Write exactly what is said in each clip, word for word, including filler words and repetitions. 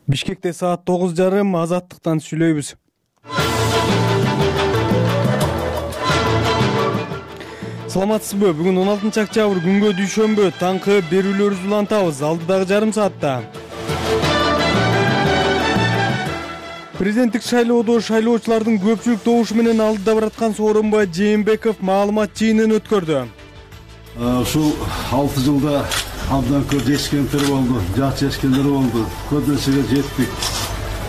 Бишкекте саат тогуз жарым Азаттыктан сүйлөйбүз. Саламатсызбы? Бүгүн он алтынчы октябрь күнгө дүйшөмбү. Таңкы берүүлөрүбүздү улантабыз. Алдыдагы жарым саатта президенттик шайлоодо шайлоочулардын көпчүлүк добушу менен алдыда бараткан Сооронбай Жээнбеков маалымат жыйынын өткөрдү. Ушул алты жылда абдан көп жетишкендер болду, жакшы жетишкендер болду. Көп нерсеге жеттик.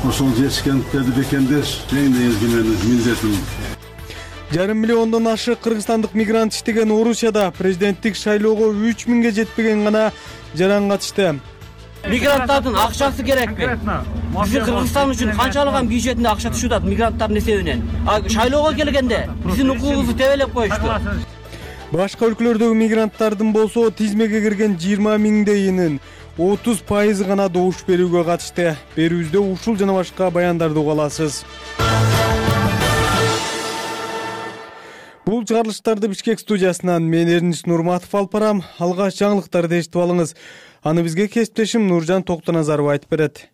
Ошол жетишкендерди бекемдеш эң негизги менин милдетим. Жарым миллиондон ашык кыргызстандык мигрант иштеген Орусияда президенттик шайлоого үч миңге жетпеген гана жаран катышты. Мигранттардын акчасы керекпи? Биздин Кыргызстан үчүн канчалыган бюджетине акча түшүп атат мигранттардын эсебинен. А шайлоого келгенде биздин укугубузду тебелеп коюшту. Башка өлкөлөрдөгү мигранттардын болсо тизмеге кирген жыйырма миңдейинин отуз пайызы гана добуш берүүгө катышты. Берүүбүздө ушул жана башка баяндарды уга аласыз. Бул чыгарылыштарды Бишкек студиясынан мен Эрнис Нурматов алып барам. Алгач жаңылыктарды эшитип алыңыз. Аны бизге кесиптешим Нуржан Токтоназарова айтып берет.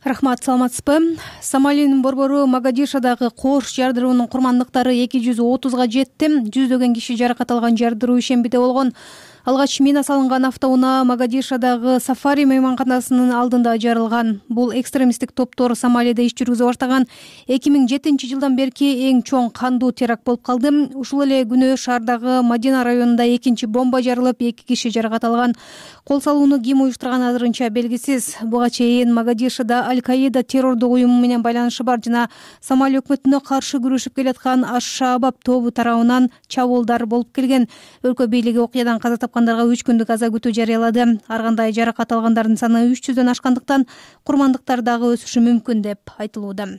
Рахмат, саламатсызбы? Сомалинин борбору Могадишодагы кош жардыруунун курмандыктары эки жүз отузга жетти. Жүздөгөн киши жаракат алган жардыруу ишембиде болгон. Алгач мина салынган автоунаа Могадишодагы Сафари мейманканасынын алдында жарылган. Бул экстремисттик топтор Сомалиде иш жүргүзүп баштаган эки миң жетинчи жылдан берки эң чоң кандуу теракт болуп калды. Ушул эле күнү шаардагы Мадина районунда экинчи бомба жарылып, эки киши жаракат алган. Кол салууну ким уюштурган азырынча белгисиз. Буга чейин Могадишодо Аль-Каида террордук уюму менен байланышы бар жана Сомали өкмөтүнө каршы күрөшүп келаткан Аш-Шаабаб тобу тарабынан чабуулдар болуп келген. Өлкө бийлиги окуядан каза тапкандарга үч күндүк аза күтүү жарыялады. Ар кандай жаракат алгандардын саны үч жүздөн ашкандыктан курмандыктар дагы өсүшү мүмкүн деп айтылууда.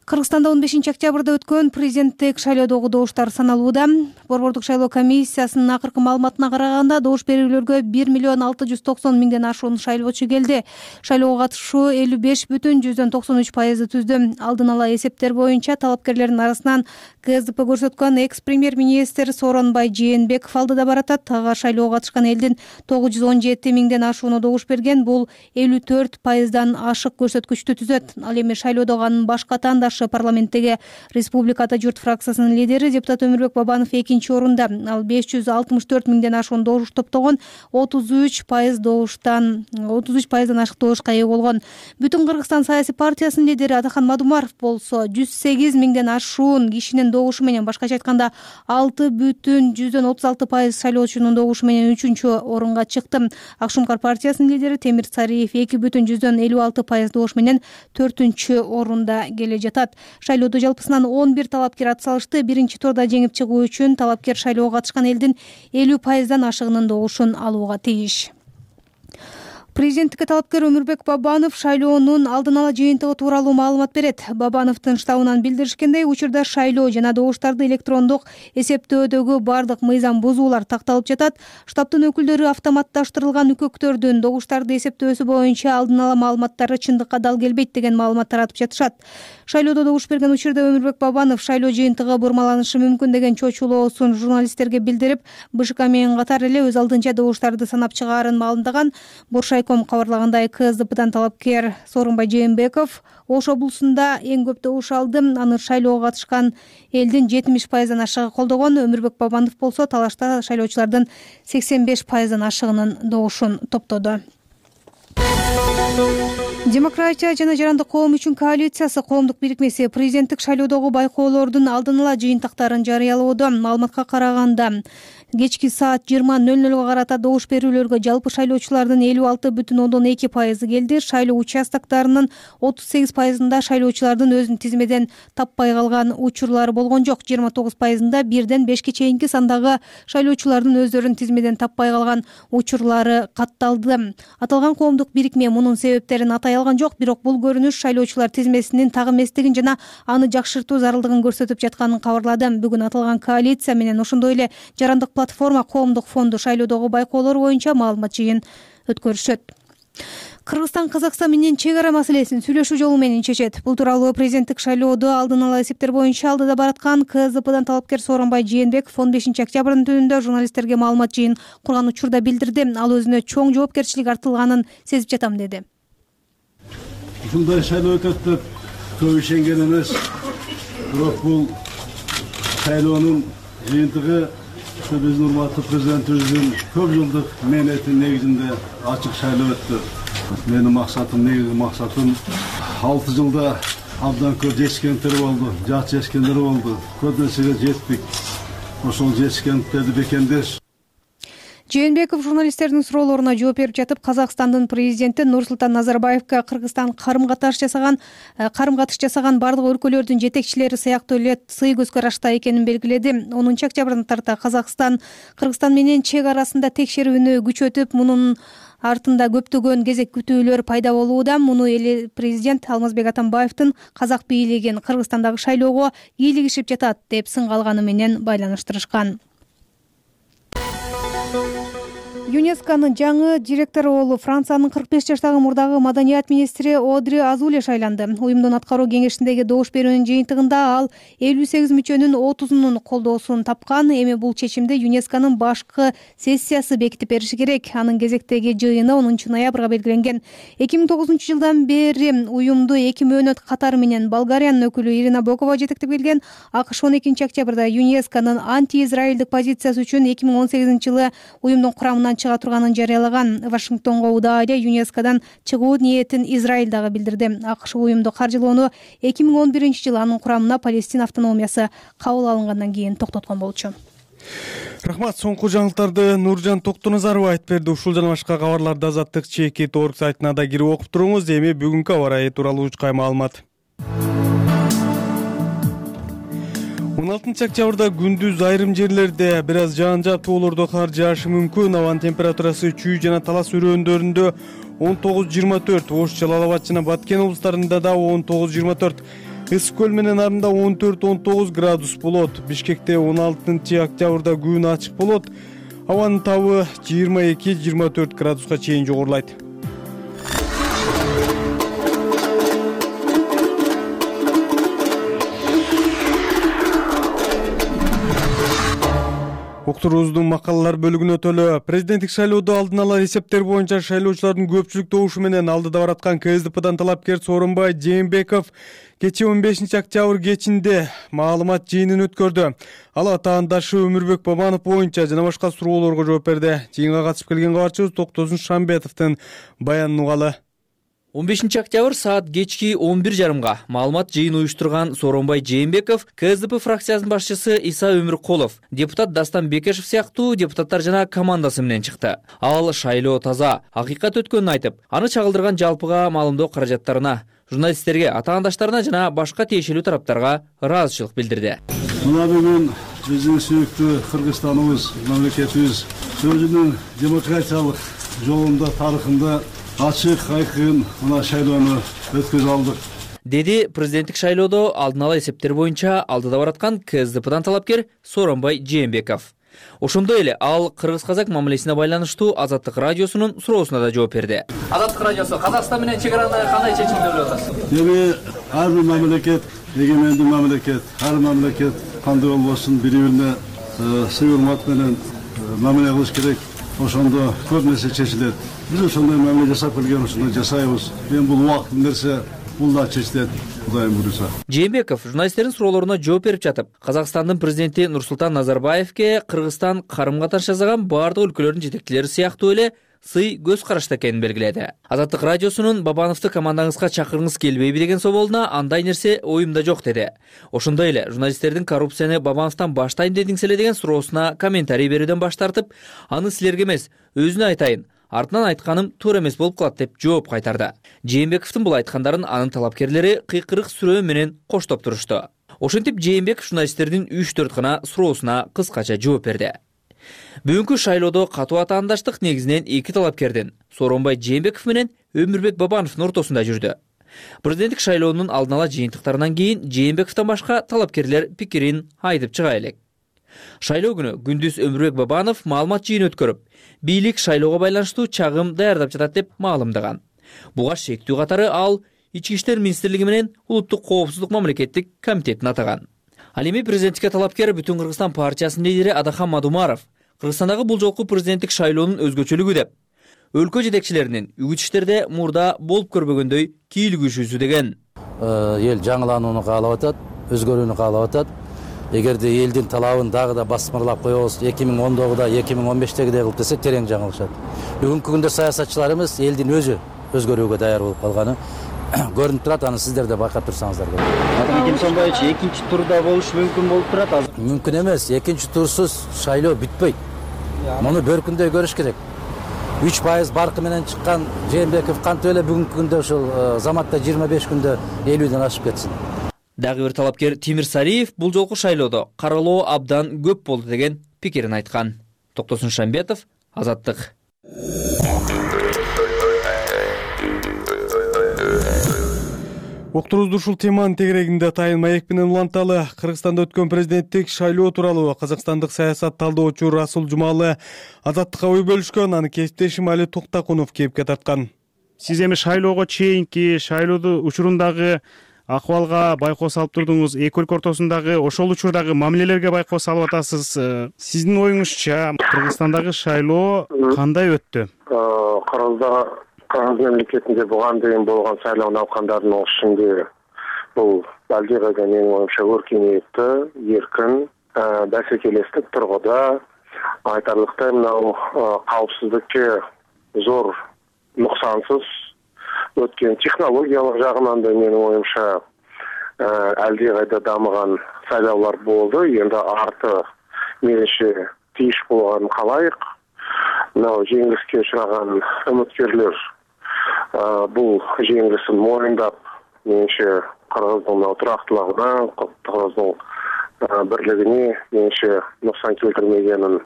Кыргызстанда он бешинчи октябрда өткөн президенттик шайлоодогу добуштар саналууда. Борбордук шайлоо комиссиясынын акыркы маалыматына караганда добуш берүүлөргө бир миллион алты жүз токсон миңден ашуун шайлоочу келди. Шайлоого катышуу элүү беш бүтүн жүздөн токсон үч пайызды түздү. Алдын ала эсептер боюнча талапкерлердин арасынан КСДП көрсөткөн экс-премьер-министр Сооронбай Жээнбеков алдыда баратат. Ага шайлоого катышкан элдин тогуз жүз он жети миңден ашууну добуш берген. Бул элүү төрт пайыздан ашык көрсөткүчтү түзөт. Ал эми шайлоодогу анын башка атаандашы парламенттеги Республика Ата журт фракциясынын лидери депутат Өмүрбек Бабанов экинчи орунда. Ал беш жүз алтымыш төрт миңден ашуун добуш топтогон, отуз үч пайыз добуштан отуз үч пайыздан ашык добушка ээ болгон. Бүтүн Кыргызстан саясий партиясынын лидери Атахан Мадумаров болсо жүз сегиз миңден ашуун кишинин добушу менен, башкача айтканда алты бүтүн жүздөн отуз алты пайыз шайлоочунун добушу менен үчүнчү орунга чыкты. Акшумкар партиясынын лидери Темир Цариев эки бүтүн жүздөн элүү алты пайыз добуш менен төртүнчү орунда келе жатат. Шайлоодо жалпысынан он бир талапкер ат салышты. Биринчи турда жеңип чыгуу үчүн талапкер шайлоого катышкан элдин элүү пайыздан ашыгынын добушун алууга тийиш. Президенттикке талапкер Өмүрбек Бабанов шайлоонун алдын ала жыйынтыгы тууралуу маалымат берет. Бабановдун штабынан билдиришкендей, учурда шайлоо жана добуштарды электрондук эсептөөдөгү бардык мыйзам бузуулар такталып жатат. Штабтын өкүлдөрү автоматташтырылган үкөктөрдүн добуштарды эсептөөсү боюнча алдын ала маалыматтары чындыкка дал келбейт деген маалымат таратып жатышат. Шайлоодо добуш берген учурда Өмүрбек Бабанов шайлоо жыйынтыгы бурмаланышы мүмкүн деген чочулоосун журналисттерге билдирип, БШК менен катар эле өз алдынча добуштарды санап чыгаарын маалымдаган. Боршайком кабарлагандай, КСДПдан талапкер Сооронбай Жээнбеков Ош облусунда эң көп добуш алды. Аны шайлоого катышкан элдин жетимиш пайыздан ашыгы колдогон. Өмүрбек Бабанов болсо талашта шайлоочулардын сексен беш пайыздан ашыгынын добушун топтоду. Демократия жана жарандык коом үчүн коалициясы коомдук бирикмеси президенттик шайлоодогу байкоолордун алдын ала жыйынтыктарын жарыялоодо. Маалыматка караганда кечки саат жыйырма нөл нөлгө карата добуш берүүлөргө жалпы шайлоочулардын элүү алты бүтүн ондон эки пайызы келди. Шайлоо участоктарынын отуз сегиз пайызында шайлоочулардын өзүн тизмеден таппай калган учурлары болгон жок. жыйырма тогуз пайызында бирден бешке чейинки сандагы шайлоочулардын өздөрүн тизмеден таппай калган учурлары катталды. Аталган коомдук бирикме мунун себептерин атай алган жок, бирок бул көрүнүш шайлоочулар тизмесинин так эместигин жана аны жакшыртуу зарылдыгын көрсөтүп жатканын кабарлады. Бүгүн аталган коалиция менен ошондой эле жарандык платформа коомдук фонду шайлоодогу байкоолор боюнча маалымат жыйын өткөрүшөт. Кыргызстан Казакстан менен чек ара маселесин сүйлөшүү жолу менен чечет. Бул тууралуу президенттик шайлоодо алдын ала эсептер боюнча алдыда бараткан КСДПдан талапкер Сооронбай Жээнбеков он бешинчи октябрдын түнүндө журналисттерге маалымат жыйын курган учурда билдирди. Ал өзүнө чоң жоопкерчилик артылганын сезип жатам деди. ушундай шайлоо өтөт деп көп ишенген эмес. Бирок бул шайлоонун жыйынтыгы биздин урматтуу президентибиздин көп жылдык мээнетинин негизинде ачык шайлоо өттү. Менин максатым, негизги максатым алты жылда абдан көп жетишкендер болду, жат жетишкендер болду. Көп нерсеге жеттик. Ошол жетишкендерди бекемдеш. Жээнбеков журналисттердин суроолоруна жооп берип жатып, Казакстандын президенти Нурсултан Назарбаевка Кыргызстан карым-катыш жасаган, карым-катыш жасаган бардык өлкөлөрдүн жетекчилери сыяктуу эле сый көз карашта экенин белгиледи. онунчу октябрдан тарта Казакстан Кыргызстан менен чек арасында текшерүүнү күчөтүп, мунун артында көптөгөн кезек күтүүлөр пайда болууда. Муну эли президент Алмазбек Атамбаевдин казак бийлигин Кыргызстандагы шайлоого кийлигишип жатат деп сынга алганы менен байланыштырышкан. ЮНЕСКОнун жаңы директору болуп Франциянын кырк беш жаштагы мурдагы маданият министри Одри Азуле шайланды. Уюмдун аткаруу кеңешиндеги добуш берүүнүн жыйынтыгында ал элүү сегиз мүчөнүн отузунун колдоосун тапкан. Эми бул чечимди ЮНЕСКонун башкы сессиясы бекитип бериши керек. Анын кезектеги жыйыны онунчу ноябрга белгиленген. эки миң тогузунчу жылдан бери уюмду эки мөөнөт катары менен Болгариянын өкүлү Ирина Бокова жетектеп келген. АКШ он экинчи октябрда ЮНЕСКонун анти-израилдик позициясы үчүн эки миң он сегизинчи жылы уюмдун курамынан чыга турганын жарыялаган. Вашингтонго удаа эле ЮНЕСКодан чыгуу ниетин Израиль дагы билдирди. АКШ уюмду каржылоону эки миң он биринчи жылы анын курамына Палестина автономиясы кабыл алынгандан кийин токтоткон болчу. Рахмат. Соңку жаңылыктарды Нуржан Токтоназаров айтып берди. Ушул жана башка кабарларды Азаттык чекит орг сайтына да кирип окуп туруңуз. Эми бүгүнкү аба ырайы тууралуу учкай маалымат. он алтынчы октябрда күндүз айрым жерлерде бир аз жаан жаптуулордо кар жаашы мүмкүн. Абанын температурасы Чүй жана Талас өрөөндөрүндө он тогуз жыйырма төрт, Ош, Жалал Абад жана Баткен облустарында да он тогуз жыйырма төрт, Ысык көл менен Нарында он төрт он тогуз градус болот. Бишкекте он алтынчы октябрда күн ачык болот. Абанын табы жыйырма эки жыйырма төрт градуска чейин жогорулайт. Уктуруубуздун макалалар бөлүгүнө өтөлү. Президенттик шайлоодо алдын ала эсептер боюнча шайлоочулардын көпчүлүк добушу менен алдыда бараткан КСДПдан талапкер Сооронбай Жээнбеков кечээ он бешинчи октябрь кечинде маалымат жыйынын өткөрдү. Ал атаандашы Өмүрбек Бабанов боюнча жана башка суроолорго жооп берди. Жыйынга катышып келген кабарчыбыз Токтосун Шамбетовдун баянын угалы. он бешинчи октябрь саат кечки он бир жарымга маалымат жыйын уюштурган Сооронбай Жээнбеков КСДП фракциясынын башчысы Иса Өмүркулов, депутат Дастан Бекешев сыяктуу депутаттар жана командасы менен чыкты. Ал шайлоо таза, акыйкат өткөнүн айтып, аны чагылдырган жалпыга маалымдоо каражаттарына, журналисттерге, атаандаштарына жана башка тиешелүү тараптарга ыраазычылык билдирди. Мына бүгүн биздин сүйүктүү Кыргызстаныбыз, мамлекетибиз өзүнүн демократиялык жолунда, тарыхында ачык айкын мына шайлоону өткөзө алдык, деди президенттик шайлоодо алдын ала эсептер боюнча алдыда бараткан КСДПдан талапкер Сооронбай Жээнбеков. Ошондой эле ал кыргыз-казак мамилесине байланыштуу Азаттык радиосунун суроосуна да жооп берди. Азаттык радиосу Казакстан менен чек араны кандай чечим көрүп атасыз? Эми ар бир мамлекет, эгемендүү мамлекет, ар мамлекет кандай болбосун бири-бирине сый урмат менен мамиле кылыш керек. Ошондо көп нерсе чечилет. Биз ошондой мамиле жасап келген, ошондой жасайбыз. Эми бул убакыттын нерсе, бул да чечилет, Кудайым буйруса. Жээнбеков журналисттердин суроолоруна жооп берип жатып, Казакстандын президенти Нурсултан Назарбаевке Кыргызстан карым-катыш жасаган бардык өлкөлөрдүн жетекчилери сыяктуу эле сый көз карашта экенин белгиледи. Азаттык радиосунун Бабановду командаңызга чакыргыңыз келбейби деген соолуна андай нерсе оюмда жок деди. Ошондой эле журналисттердин коррупцияны Бабановдон баштайм дедиңиз эле деген суроосуна комментарий берүүдөн баш тартып, аны силерге эмес, өзүнө айтайын, артынан айтканым туура эмес болуп калат деп жооп кайтарды. Жээнбековдун бул айткандарын анын талапкерлери кыйкырык сүрөө менен коштоп турушту. Ошентип Жээнбеков журналисттердин үч төрт гана суроосуна кыскача жооп берди. Бүгүнкү шайлоодо катуу атаандаштык негизинен эки талапкердин Сооронбай Жээнбеков менен Өмүрбек Бабановдун ортосунда жүрдү. Президенттик шайлоонун алдын ала жыйынтыктарынан кийин Жээнбековдон башка талапкерлер пикирин айтып чыга элек. Шайлоо күнү күндүз Өмүрбек Бабанов маалымат жыйын өткөрүп, бийлик шайлоого байланыштуу чагым даярдап жатат деп маалымдаган. Буга шектүү катары ал Ички иштер министрлиги менен Улуттук коопсуздук мамлекеттик комитетин атаган. Ал эми президенттикке талапкер Бүтүн Кыргызстан партиясынын лидери Адахан Мадумаров Кыргызстандагы бул жолку президенттик шайлоонун өзгөчөлүгү деп, өлкө жетекчилеринин үгүт иштерде мурда болуп көрбөгөндөй кийлигишүүсү деген. Эл жаңыланууну каалап атат, өзгөрүүнү каалап атат. Эгерде элдин талабын дагы да басмырлап коебуз, эки миң ондогуда, эки миң он бештегидей кылып десек терең жаңылышат. Бүгүнкү күндө саясатчылар эмес, элдин өзү өзгөрүүгө даяр болуп калганы көрүнүп турат. Аны сиздер да байкап турсаңыздар болот. Атамекен Сооронбаевич экинчи турда болушу мүмкүн болуп турат азыр. Мүмкүн эмес. Экинчи турсуз шайлоо бүтпөйт. Муну бөркүндөй көрүш керек. үч пайыз баркы менен чыккан Жээнбеков кантип эле бүгүнкү күндө ушул заматта жыйырма беш күндө элүүдөн ашып кетсин. Дагы бир талапкер Тимир Сариев бул жолку шайлоодо каралоо абдан көп болду деген пикирин айткан. Токтосун Шамбетов, Азаттык. Уктурубузду ушул теманын тегерегинде Тайын маек менен уланталы. Кыргызстанда өткөн президенттик шайлоо тууралуу казакстандык саясат талдоочу Расул Жумалы Азаттыкка ой бөлүшкөн. Аны кесиптешим Али Токтакунов кепке тарткан. Сиз эми шайлоого чейинки шайлоодун учурундагы акыбалга байкоо салып турдуңуз, эки өлкө ортосундагы ошол учурдагы мамилелерге байкоо салып атасыз. Сиздин оюңузча Кыргызстандагы шайлоо кандай өттү? Кыргызда Кыргыз мемлекетинде буган дейин болгон шайлоо наукандарынын ишинде бул алдыйгайда менин оюмча өркүнөттү, эркин, бәсекелестик тургуда айтарлыктай мынау каапсыздыкка зор нуксансыз өткөн, технологиялык жагынан да менин оюмча алдыйгайда дамыган шайлоолор болду. Эми арты менимче тийиш болгонун каалайык. Мынау жеңилиске учураган үмүткерлер бул жеңилисин моюндап, менимче Кыргыздын турактуулугуна, Кыргыздын бирлигине менимче нуксан келтирмегенин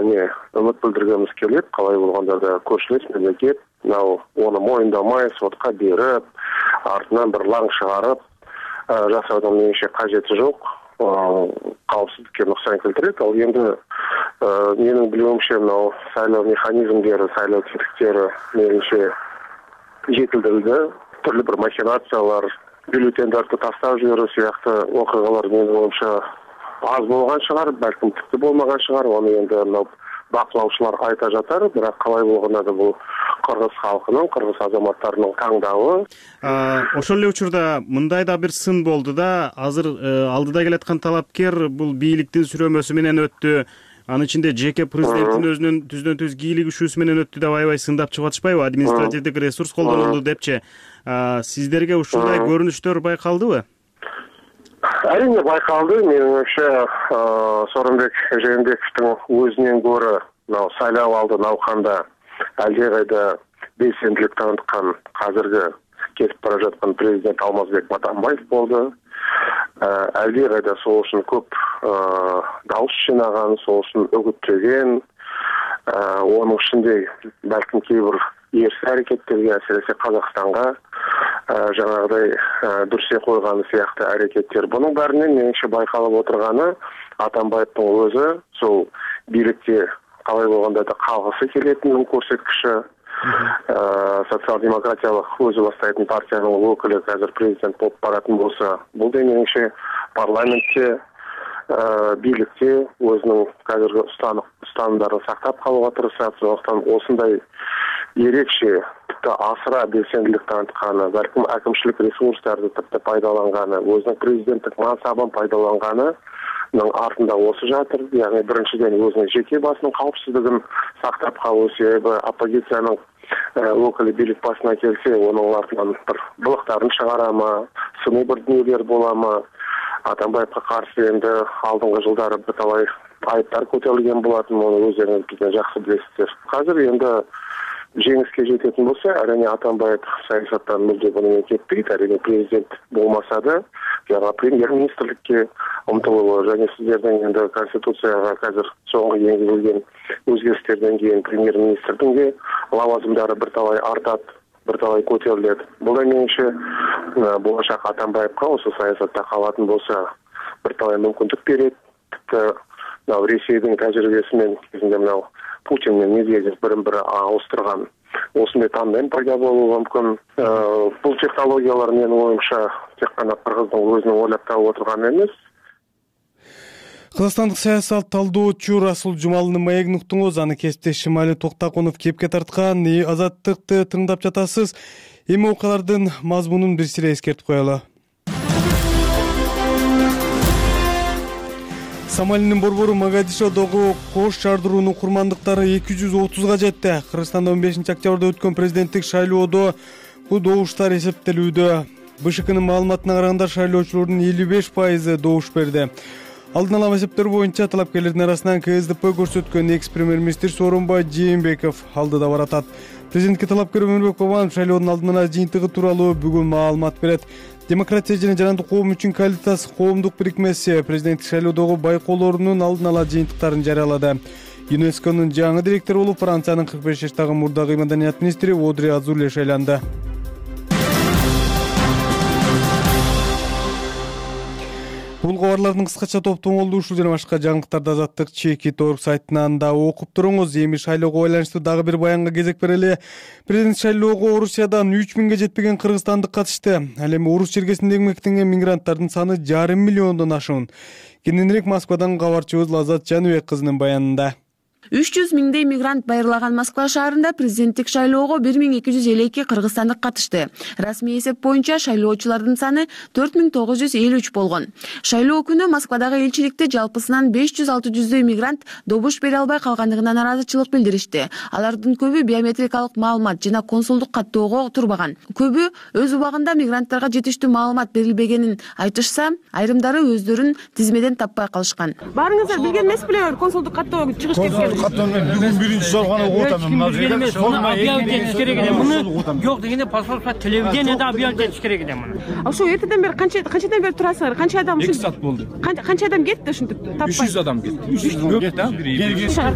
не үмүт билдиргенибиз келет. Калай болгондо да көршүлөс мемлекет мынау ону моюндамай сотко берип, артынан бир лаң чыгарып жасоодун менимче кажети жок. Каапсыздыкка нуксан келтирет. Ал эми менин билүүмчө мынау шайлоо механизмдери, шайлоо тетиктери менимче жетилдирилди. Түрлүү бир махинациялар, бюллетендерди таштап жиберүү сыяктуу окуялар менин оюмча аз болгон чыгар, балким типти болмаган чыгар. Аны эми мынау бакылаучулар айта жатар, бирок калай болгондо да бул кыргыз халкынын, кыргыз азаматтарынын таңдабы. Ошол эле учурда мындай да бир сын болду да, азыр алдыда келаткан талапкер бул бийликтин сүрөмөсү менен өттү. Анын ичинде жеке президенттин өзүнүн түздөн-түз кийлигишүүсү менен өттү деп аябай сындап чыгып атышпайбы? Административдик ресурс колдонулду депчи. Сиздерге ушундай көрүнүштөр байкалдыбы? Әрине байкалды. Менин оюмча Сооронбек Жээнбековдун өзүнөн көрө мынау шайлоо алды науканда алдыйгайда белсендилик таныткан азыркы кетип бара жаткан президент Алмазбек Матамбаев болду. Алдыйгайда сол үчүн көп дауыс жинаган, сол үчүн үгүттөгөн, онун ичинде балким кээ бир эрс аракеттерге, әсиресе Казакстанга жаңагыдай дүрсе койган сыяктуу аракеттер. Бунун баарынан менимче байкалып отурганы Атамбаевдин өзү сол бийликте калай болгондо да калгысы келетинин көрсөткүчү. Социал-демократиялык өзү баштайтын партиянын өкүлү азыр президент болуп баратын болсо, бул да менимче парламентте, бийликте өзүнүн азыркы устанымдарын сактап калууга тырышат. Ошондуктан осундай эрекче, типти асыра белсендилик танытканы, балким акимчилик ресурстарды типти пайдаланганы, өзүнүн президенттик мансабын пайдаланганы артында осы жатыр. Яғни биринчиден өзүнүн жеке басынын каапсыздыгын сактап калуу, себеби оппозициянын өкүлү бийлик башына келсе, онун артынан бир былыктарын чыгарама, сыный бир дүнүлөр болама. Атамбаевга каршы энди алдыңкы жылдары бир талай айыптар көтөрүлгөн болатын, муну өздөрүңүз бизden жакшы билесиздер. Азыр энди жеңиске жететін болса, әрине Атамбаев саясаттан мүлде бұнымен кетпейді. Әрине президент болмаса да, жаңа премьер-министрлікке ұмтылуы, және сіздердің енді конституцияға қазір соңғы енгізілген өзгерістерден кейін премьер-министрдің де лауазымдары бірталай артат, бірталай көтеріледі. Бұл да меніңше болашақ Атамбаевқа осы саясатта қалатын болса, бірталай мүмкіндік береді. Тіпті Ресейдің тәжірибесімен кезінде мынау Путин мен Медведев бірін-бірі ауыстырған осындай тандем пайда болуы мүмкін. Бұл технологиялар менің ойымша тек қана Қырғыздың өзінің ойлап тауып отырған емес. Кыргызстандык саясат талдоочу Расул Жумалдын маегин уктуңуз. Аны кесиптеш Шымали Токтакунов кепке тарткан. Азаттыкты тыңдап жатасыз. Эми окуялардын мазмунун бир сире эскертип коелу. Сомалинин борбору Могадишодогу кош жардыруунун курмандыктары эки жүз отузга жетти. Кыргызстанда он бешинчи октябрда өткөн президенттик шайлоодо бул добуштар эсептелүүдө. БШКнын маалыматына караганда шайлоочулордун элүү беш пайызы добуш берди. Алдын ала эсептер боюнча талапкерлердин арасынан КСДП көрсөткөн экс-премьер-министр Сооронбай Жээнбеков алдыда баратат. Президентке талапкер Өмүрбек Бабанов шайлоонун алдын ала жыйынтыгы тууралуу бүгүн маалымат берет. Демократия жана жарандык коом үчүн коалициясы коомдук бирикмеси президенттик шайлоодогу байкоолорунун алдын ала жыйынтыктарын жарыялады. ЮНЕСКОнун жаңы директору болуп Франциянын кырк беш жаштагы мурдагы маданият министри Одри Азуле шайланды. Бул кабарлардын кыскача топтомолду ушул жана башка жаңылыктарды Азаттык чекит орг сайтынан да окуп туруңуз. Эми шайлоого байланыштуу дагы бир баянга кезек берели. Президент шайлоого Орусиядан үч миңге жетпеген кыргызстандык катышты. Ал эми Орус чергесинде эмгектенген мигранттардын саны жарым миллиондон ашуун. Кененирээк Москвадан кабарчыбыз Лазат Жаныбек кызынын баянында. үч жүз миңдей мигрант байырлаган Москва шаарында президенттик шайлоого бир миң эки жүз элүү эки кыргызстандык катышты. Расмий эсеп боюнча шайлоочулардын саны төрт миң тогуз жүз элүү үч болгон. Шайлоо күнү Москвадагы элчиликте жалпысынан беш жүз алты жүздөй мигрант добуш бере албай калгандыгына нараазычылык билдиришти. Алардын көбү биометрикалык маалымат жана консулдук каттоого турбаган. Көбү өз убагында мигранттарга жетиштүү маалымат берилбегенин айтышса, айрымдары өздөрүн тизмеден таппай калышкан. Баарыңыздар билген эмес беле консулдук каттоого чыгыш кеткен? Бүгүн биринчи жолу гана окуп атам. Объявить этиш керек эле. Муну жок дегенде посольство телевидениеде объявить этиш керек эле муну. Ошо эртеден бери канча канчадан бери турасыңар? Канча адам эки саат болду. Канча адам кетти ушинтип таппай? үч жүз адам кетти. үч жүз кетти.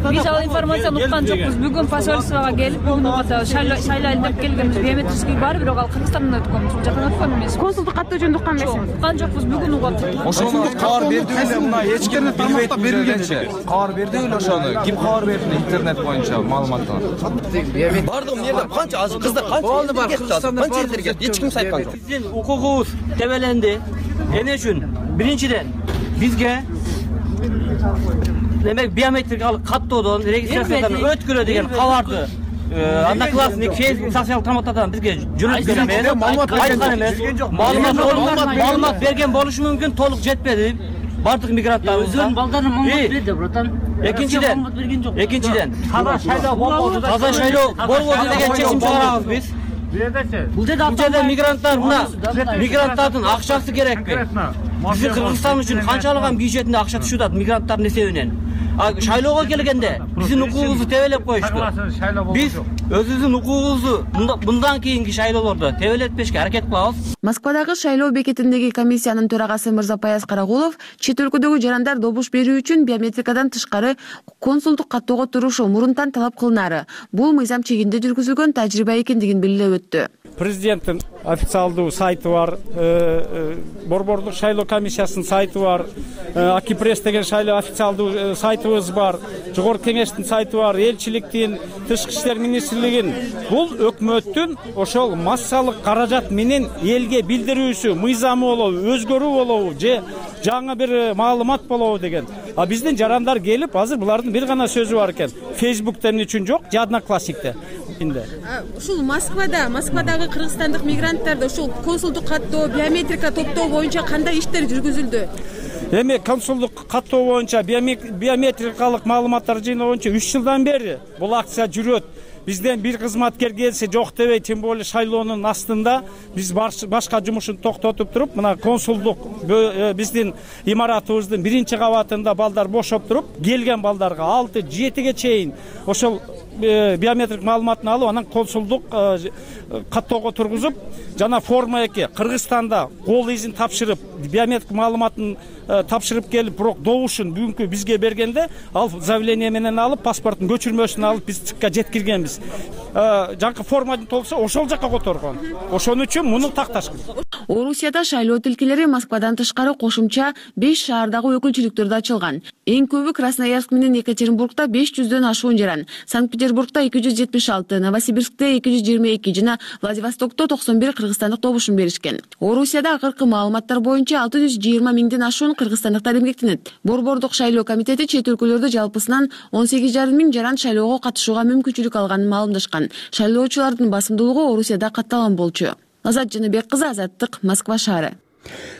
Биз ал информацияны уккан жокпуз. Бүгүн посольствого келип, бүгүн угата шайлайлы деп келгенбиз. Биометрический бар, бирок ал Кыргызстандан өткөн. Ушул жактан өткөн эмес. Консулдук каттоо жөнүндө уккан эмесиз? Уккан жокпуз, бүгүн угат. Ошону кабар берди эле, мына эч ким билбейт берилгенче. Кабар берди эле ошону. Ким кабар берди? Интернет боюнча маалыматтар. Бардым жерде канча азыр кыздар канча бар Кыргызстанда канча элдер кетти, эч ким сайткан жок. Биздин укугубуз тебеленди. Эмне үчүн? Биринчиден бизге демек биометрикалык каттоодон регистрациядан өткөрө деген кабарды Одноклассник, Facebook, социалдык тармактардан бизге жөнөткөн эмес, айткан эмес. Маалымат берген болушу мүмкүн, толук жетпеди. Бардык мигранттар өзүнүн балдарына маалымат берди, братан. Экинчиден, экинчиден таза шайлоо болбоду, таза шайлоо болбоду деген чечим чыгарабыз биз. Бул жерде мигранттар мына мигранттардын акчасы керекпи? Биздин Кыргызстан үчүн канчалыган бюджетинде акча түшүп атат мигранттардын эсебинен. Шайлоого келгенде биздин укугубузду тебелеп коюшту. Биз өзүбүздүн укугубузду мындан кийинки шайлоолордо тебелетпешке аракет кылабыз. Москвадагы шайлоо бекетиндеги комиссиянын төрагасы Мырзапаяз Карагулов чет өлкөдөгү жарандар добуш берүү үчүн биометрикадан тышкары консулдук каттоого турушу мурунтан талап кылынары. Бул мыйзам чегинде жүргүзүлгөн тажрыйба экендигин белгилеп өттү. Президенттин официалдуу сайты бар, борбордук шайлоо комиссиясынын сайты бар, Акипресс деген шайлоо официалдуу сайтыбыз бар, жогорку кеңештин сайты бар, элчиликтин, тышкы иштер министрлигинин. Бул өкмөттүн ошол массалык каражат менен элге билдирүүсү, мыйзамы болобу, өзгөрүү болобу, же жаңы бир маалымат болобу деген. А биздин жарандар келип, азыр булардын бир гана сөзү бар экен. Facebook'та эмне үчүн жок, же Одноклассникте. Ушул Москвада, Москвадагы кыргызстандык мигранттарды ушул консулдук каттоо, биометрика топтоо боюнча кандай иштер жүргүзүлдү? Эми консулдук каттоо боюнча биометрикалык маалыматтар жыйноо боюнча үч жылдан бери бул акция жүрөт. Бизден бир кызматкер келсе жок дебей, тем более шайлоонун астында биз башка жумушун токтотуп туруп, мына консулдук биздин имаратыбыздын биринчи кабатында балдар бошоп туруп, келген балдарга алты жетиге чейин ошол биометрик маалыматын алып, анан консулдук каттоого тургузуп, жана форма эки Кыргызстанда кол изин тапшырып, биометрик маалыматын тапшырып келип, бирок добушун бүгүнкү бизге бергенде, ал заявление менен алып, паспорттун көчүрмөсүн алып, биз ЦИКка жеткиргенбиз. Жанкы форманы толтурса, ошол жакка которгон. Ошон үчүн муну такташкан. Орусияда шайлоо тилкелери Москвадан тышкары кошумча беш шаардагы өкүлчүлүктөрдө ачылган. Эң көбү Красноярск менен Екатеринбургда беш жүздөн ашуун жаран, Санкт-Петербург Санкт-Петербургда эки жүз жетимиш алты, Новосибирскте эки жүз жыйырма эки жана Владивостокто токсон бир кыргызстандык добушун беришкен. Орусияда акыркы маалыматтар боюнча алты жүз жыйырма миңден ашуун кыргызстандыктар эмгектенет. Борбордук шайлоо комитети чет өлкөлөрдө жалпысынан он сегиз жарым миң жаран шайлоого катышууга мүмкүнчүлүк алганын маалымдашкан. Шайлоочулардын басымдуулугу Орусияда катталган болчу. Азат Жаныбек кызы, Азаттык, Москва шаары.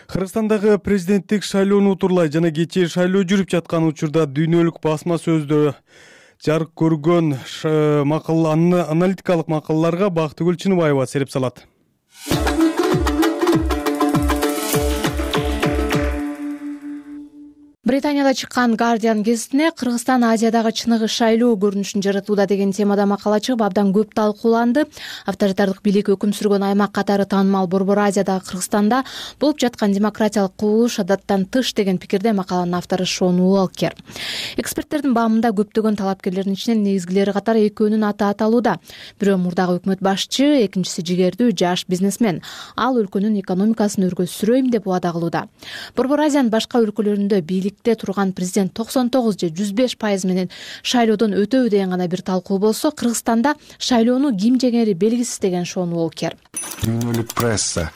Кыргызстандагы президенттик шайлоону утурлай жана кечээ шайлоо жүрүп жаткан учурда дүйнөлүк басма сөздө жарык көргөн макала, аналитикалык макалаларга Бактыгүл Чыныбаева сереп салат. Британияда чыккан Guardian гезитине Кыргызстан Азиядагы чыныгы шайлоо көрүнүшүн жаратууда деген темада макала чыгып абдан көп талкууланды. Авторитардык бийлик өкүм сүргөн аймак катары таанымал Борбор Азиядагы Кыргызстанда болуп жаткан демократиялык кубулуш адаттан тыш деген пикирде макаланын автору Шон Уолкер. Эксперттердин баамында көптөгөн талапкерлердин ичинен негизгилери катары экөөнүн аты аталууда. Бирөө мурдагы өкмөт башчы, экинчиси жигердүү жаш бизнесмен. Ал өлкөнүн экономикасын өргө сүрөйм деп убада кылууда. Борбор Азиянын башка өлкөлөрүндө бийлик турган президент токсон тогуз же жүз беш пайыз менен шайлоодон өтөбү деген гана бир талкуу болсо, Кыргызстанда шайлоону ким жеңери белгисиз деген Шон Уолкер. Дүйнөлүк пресса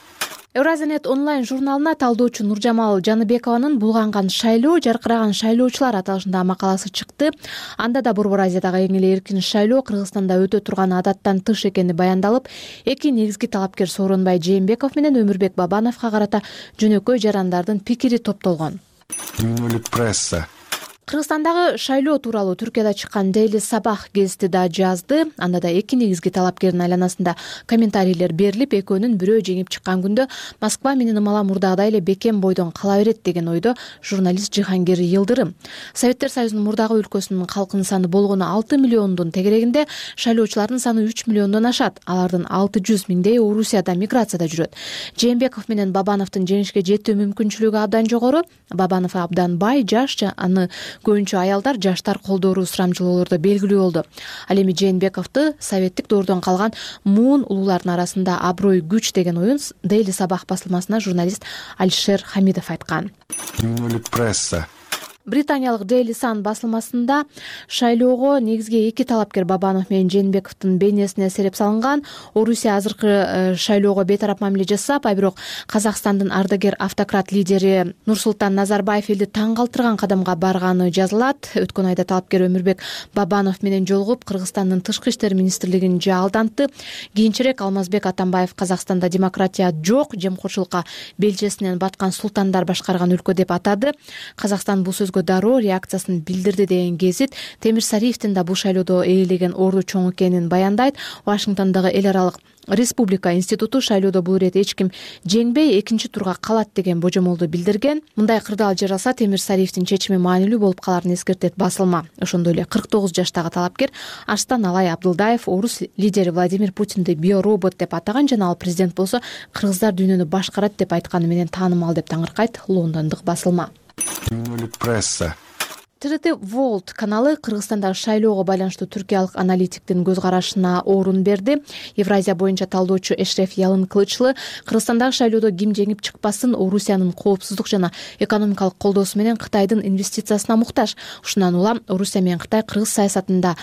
Евразиянет онлайн журналына талдоочу Нуржамал Жаныбекованын «Булганган шайлоо, жаркыраган шайлоочулар» аталышындагы макаласы чыкты. Анда да Борбор Азиядагы эң эле эркин шайлоо Кыргызстанда өтө турган адаттан тыш экени баяндалып, эки негизги талапкер Сооронбай Жээнбеков менен Өмүрбек Бабановго карата жөнөкөй жарандардын пикири топтолгон. Дүйнөлүк пресса Кыргызстандагы шайлоо тууралуу Түркияда чыккан Daily Sabah гезити да жазды. Анда да эки негизги талапкердин айланасында комментарийлер берилип, экөөнүн бирөө жеңип чыккан күндө Москва менен ымала мурдагыдай эле бекем бойдон кала берет деген ойдо журналист Жихангир Йылдырым. Советтер Союзунун мурдагы өлкөсүнүн калкынын саны болгону алты миллиондун тегерегинде шайлоочулардын саны үч миллиондон ашат. Алардын алты жүз миңдей Орусияда миграцияда жүрөт. Жээнбеков менен Бабановдун жеңишке жетүү мүмкүнчүлүгү абдан жогору. Бабанов абдан бай, жаш, аны көбүнчө аялдар, жаштар колдоору сурамжылоолордо белгилүү болду. Ал эми Жээнбековду советтик доордон калган муун улуулардын арасында аброй күч деген оюн Daily Sabah басылмасына журналист Алишер Хамидов айткан. Дүйнөлүк пресса Британиялык Daily Sun басылмасында шайлоого негизги эки талапкер Бабанов менен Жээнбековдун бейнесине сереп салынган. Орусия азыркы шайлоого бейтарап мамиле жасап, а бирок Казакстандын ардагер автократ лидери Нурсултан Назарбаев элди таң калтырган кадамга барганы жазылат. Өткөн айда талапкер Өмүрбек Бабанов менен жолугуп, Кыргызстандын тышкы иштер министрлигин жаалдантты. Кийинчерээк Алмазбек Атамбаев Казакстанда демократия жок, жемкорчулукка белчесинен баткан султандар башкарган өлкө деп атады. Казакстан бул сөзгө дароо реакциясын билдирди деген гезит Темир Сариевдин да бул шайлоодо ээлеген орду чоң экенин баяндайт. Вашингтондогу эл аралык Республика институту шайлоодо бул ирет эч ким жеңбей экинчи турга калат деген божомолду билдирген. Мындай кырдаал жаралса Темир Сариевдин чечими маанилүү болуп каларын эскертет басылма. Ошондой эле кырк тогуз жаштагы талапкер Арстан Алай Абдылдаев орус лидери Владимир Путинди биоробот деп атаган жана ал президент болсо кыргыздар дүйнөнү башкарат деп айтканы менен таанымал деп таңыркайт лондондук басылма. Дүйнөлүк пресса Т Р Т World каналы Кыргызстандагы шайлоого байланыштуу түркиялык аналитиктин көз карашына орун берди. Евразия боюнча талдоочу Эшреф Ялын Кылычлы Кыргызстандагы шайлоодо ким жеңип чыкпасын Орусиянын коопсуздук жана экономикалык колдоосу менен Кытайдын инвестициясына муктаж. Ушундан улам Орусия менен Кытай кыргыз саясатында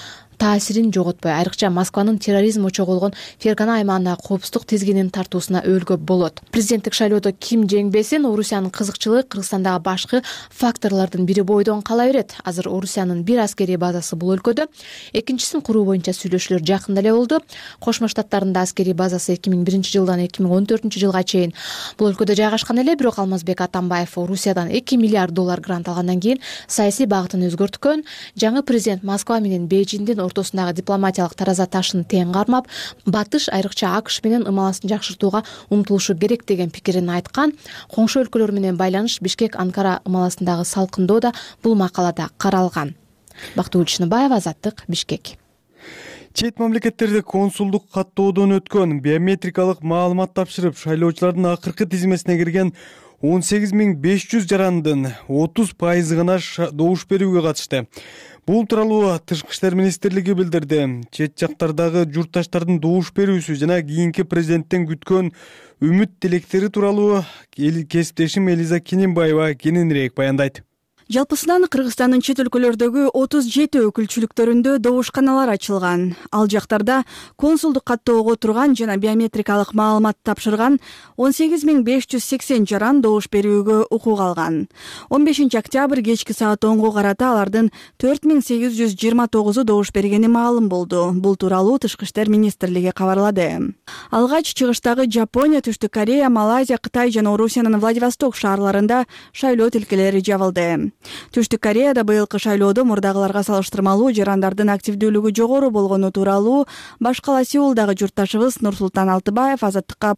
таасирин жоготпой, айрыкча Москванын терроризм очогу болгон Фергана аймагындагы коопсуздук тизгинин тартуусуна өөлгө болот. Президенттик шайлоодо ким жеңбесин, Орусиянын кызыкчылыгы Кыргызстандагы башкы факторлордун бири бойдон кала берет. Азыр Орусиянын бир аскерий базасы бул өлкөдө, экинчисин куруу боюнча сүйлөшүүлөр жакында эле болду. Кошмо Штаттарында аскерий базасы эки миң биринчи жылдан эки миң он төртүнчү жылга чейин бул өлкөдө жайгашкан эле, бирок Алмазбек Атамбаев Орусиядан эки миллиард доллар грант алгандан кийин саясий багытын өзгөрткөн. Жаңы президент Москва менен Бейжиңдин ортосундагы дипломатиялык тараза ташын тең кармап, батыш айрыкча АКШ менен ымаласын жакшыртууга умтулушу керек деген пикирин айткан. Коңшу өлкөлөр менен байланыш Бишкек-Анкара ымаласындагы салкындоо да бул макалада каралган. Бактыгүл Чыныбаева, Азаттык, Бишкек. Чет мамлекеттерде консулдук каттоодон өткөн биометрикалык маалымат тапшырып, шайлоочулардын акыркы тизмесине кирген он сегиз миң беш жүз жарандын отуз пайызы гана добуш берүүгө катышты. Бул тууралуу Тышкы иштер министрлиги билдирди. Чет жактардагы журтташтардын добуш берүүсү жана кийинки президенттен күткөн үмүт тилектери тууралуу кесиптешим Элиза Кененбаева кененирээк баяндайт. Жалпысынан Кыргызстандын чет өлкөлөрдөгү отуз жети өкүлчүлүктөрүндө добушканалар ачылган. Ал жактарда консулдук каттоого турган жана биометрикалык маалымат тапшырган он сегиз миң беш жүз сексен жаран добуш берүүгө укук алган. он бешинчи октябрь кечки саат онго карата алардын төрт миң сегиз жүз жыйырма тогузу добуш бергени маалым болду. Бул тууралуу Тышкы иштер министрлиги кабарлады. Алгач чыгыштагы Жапония, Түштүк Корея, Малайзия, Кытай жана Орусиянын Владивосток шаарларында шайлоо тилкелери жабылды. Түштүк Кореяда быйылкы шайлоодо мурдагыларга салыштырмалуу жарандардын активдүүлүгү жогору болгону тууралуу баш кала Сеулдагы журтташыбыз Нурсултан Алтыбаев Азаттыкка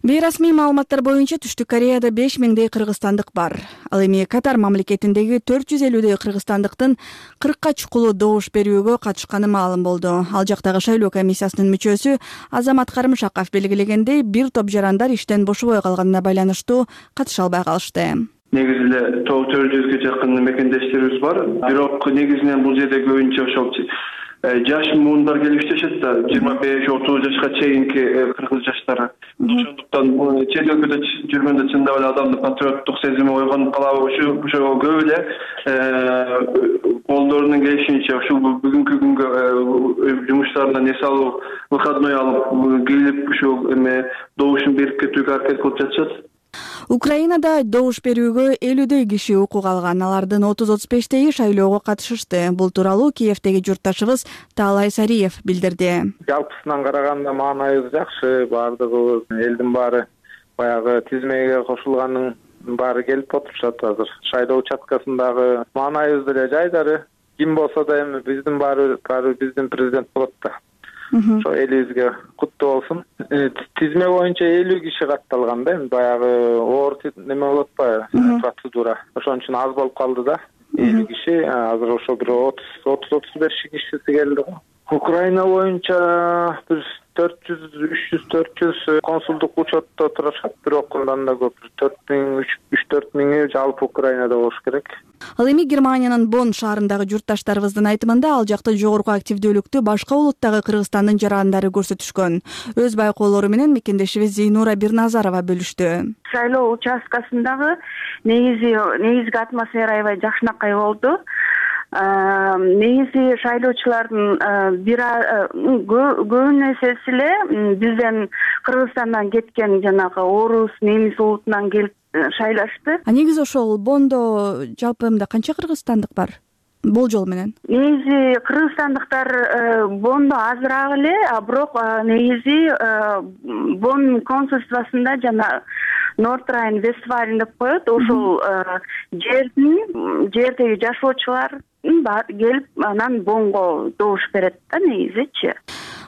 бейрасмий маалыматтар боюнча Түштүк Кореяда беш миңдей кыргызстандык бар. Ал эми Катар мамлекетиндеги төрт жүз элүүдөй кыргызстандыктын кыркка чукулу добуш берүүгө катышканы маалым болду. Ал жактагы шайлоо комиссиясынын мүчөсү Азамат Карымшаков белгилегендей, бир топ жарандар иштен бошобой калганына байланыштуу катыша албай калышты. Негизи эле төрт жүзгө жакын мекендештерибиз бар. Бирок негизинен бул жерде көбүнчө ошол жаш муундар келип иштешет да, жыйырма беш отуз жашка чейинки кыргыз жаштары. Ошондуктан чет өлкөдө жүргөндө чындап эле адамдын патриоттук сезими ойгонуп калабы, ушу ошого көп эле колдорунун келишинче ушул бүгүнкү күнгө жумуштарынан эс алып, выходной алып келип ушул эме добушун берип кетүүгө аракет кылып жатышат. Украинада добуш берүүгө элүүдөй киши укук алган. Алардын отуз отуз бештеги шайлоого катышышты. Бул тууралуу Киевдеги журтташыбыз Таалай Сариев билдирди. Жалпысынан караганда маанайыбыз жакшы, баардыгыбыз элдин баары баягы тизмеге кошулганын баары келип отурушат азыр. Шайлоо участкасындагы маанайыбыз деле жайдары. Ким болсо да эми биздин баары биздин президент болот да. Ошо элибизге куттуу болсун. Тизме боюнча элүү киши катталган да, баягы оор неме болот атпайбы, процедура. Ошон үчүн аз болуп калды да. элүү киши, азыр ошо бир отуз отуз беш кишиси келди го. Украина боюнча бир төрт жүз үч жүз төрт жүз консулдук учетто турушат, бирок андан да көп, төрт миң үч төрт миңи жалпы Украинада болуш керек. Ал эми Германиянын Бонн шаарындагы журтташтарыбыздын айтымында ал жакта жогорку активдүүлүктү башка улуттагы Кыргызстандын жарандары көрсөтүшкөн. Өз байкоолору менен мекендешибиз Зейнура Бирназарова бөлүштү. Шайлоо участкасындагы негизи негизги атмосфера аябай жакшынакай болду. Негизи шайлоочулардын бир көбүнөсү эле бизден Кыргызстандан кеткен жанагы орус, немис улутунан келип шайлашты. А негизи ошол Бондо жалпы мында канча кыргызстандык бар? Болжол менен. Негизи кыргызстандыктар Бондо азыраак эле, а бирок негизи Бонн консульствосунда жана Норт Райн Вестфален деп коет, ошол жердин жердеги жашоочулар келип анан Боннго добуш берет да негизичи.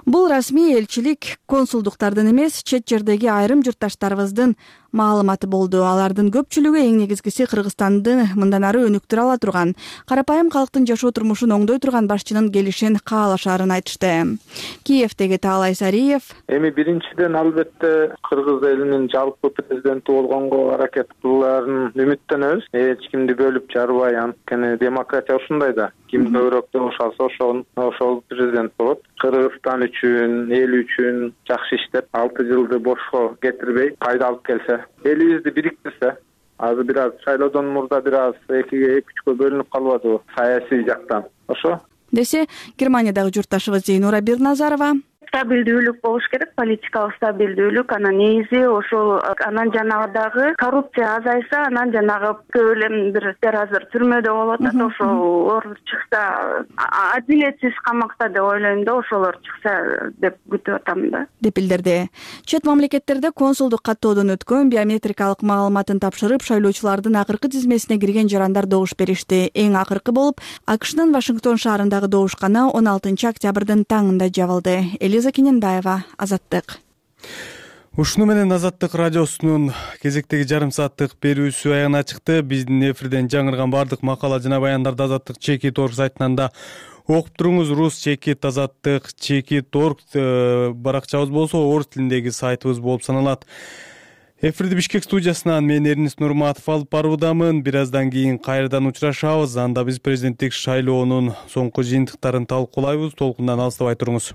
Бул расмий элчилик консулдуктардын эмес, чет жердеги айрым журтташтарыбыздын маалыматы болду. Алардын көпчүлүгү эң негизгиси Кыргызстанды мындан ары өнүктүрө ала турган, карапайым калктын жашоо турмушун оңдой турган башчынын келишин каалашаарын айтышты. Киевдеги Таалай Сариев: Эми биринчиден албетте кыргыз элинин жалпы президенти болгонго аракет кылууларын үмүттөнөбүз. Эч кимди бөлүп жарбай, анткени демократия ушундай да. Ким көбүрөөк добуш алса ошол ошол президент болот. Кыргызстан үчүн, эл үчүн жакшы иштеп, алты жылды бошко кетирбей, пайда алып келсе, элибизди бириктирсе, азыр бир аз шайлоодон мурда бир аз экиге эки үчкө бөлүнүп калбадыбы саясий жактан. Ошо десе Германиядагы журтташыбыз Зейнура Бирназарова: стабилдүүлүк болуш керек, политикалык стабилдүүлүк. Анан негизи ошол анан жанагы дагы коррупция азайса, анан жанагы көп эле бир азыр түрмөдө болуп атат, ошолор чыкса, адилетсиз камакта деп ойлойм да, ошолор чыкса деп күтүп атам да. Деп билдирди. Чет мамлекеттерде консулдук каттоодон өткөн биометрикалык маалыматын тапшырып, шайлоочулардын акыркы тизмесине кирген жарандар добуш беришти. Эң акыркы болуп АКШнын Вашингтон шаарындагы добушкана он алтынчы октябрдын таңында жабылды. Элиза Кененбаева, Азаттык. Ушуну менен Азаттык радиосунун кезектеги жарым сааттык берүүсү аягына чыкты. Биздин эфирден жаңырган бардык макала жана баяндарды Азаттык чекит орг сайтынан да окуп туруңуз. Рус чекит Азаттык чекит орг баракчабыз болсо орус тилиндеги сайтыбыз болуп саналат. Эфирди Бишкек студиясынан мен Эрнис Нурматов алып баруудамын. Бир аздан кийин кайрадан учурашабыз. Анда биз президенттик шайлоонун соңку жыйынтыктарын талкуулайбыз. Толкундан алыстабай туруңуз.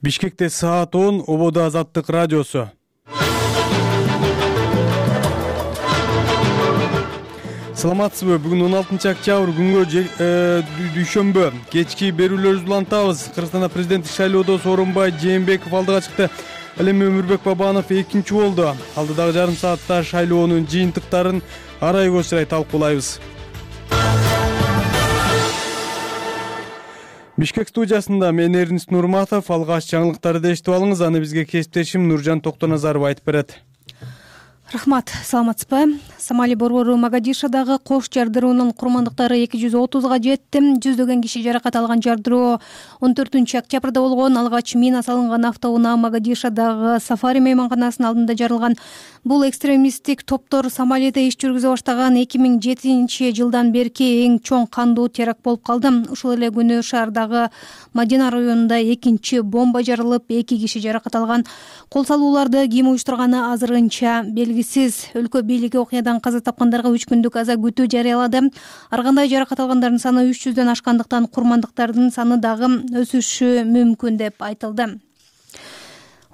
Бишкекте саат он, ободо Азаттык радиосу. Саламатсызбы? Бүгүн он алтынчы октябрь күнгө дүйшөмбү кечки берүүлөрүбүздү улантабыз. Кыргызстанда президенттик шайлоодо Сооронбай Жээнбеков алдыга чыкты. Ал эми Өмүрбек Бабанов экинчи болду. Алдыдагы жарым саатта шайлоонун жыйынтыктарын арайгы сырай талкуулайбыз. Бишкек студиясында мен Эрнис Нурматов. Алгач жаңылыктарды эшитип алыңыз, аны бизге кесиптешим Нуржан Токтоназаров айтып берет. Рахмат, саламатсызбы? Сомали борбору Могадишодагы кош жардыруунун курмандыктары эки жүз отузга жетти. Жүздөгөн киши жаракат алган жардыруу он төртүнчү октябрда болгон. Алгач мина салынган автоунаа Могадишодагы Сафари мейманканасынын алдында жарылган. Бул экстремисттик топтор Сомалиде иш жүргүзө баштаган эки миң жетинчи жылдан берки эң чоң кандуу теракт болуп калды. Ушул эле күнү шаардагы Мадина районунда экинчи бомба жарылып, эки киши жаракат алган. Кол салууларды ким уюштурганы азырынча белгисиз. Өлкө бийлиги окуядан каза тапкандарга үч күндүк аза күтүү жарыялады. Ар кандай жаракат алгандардын саны үч жүздөн ашкандыктан курмандыктардын саны дагы өсүшү мүмкүн деп айтылды.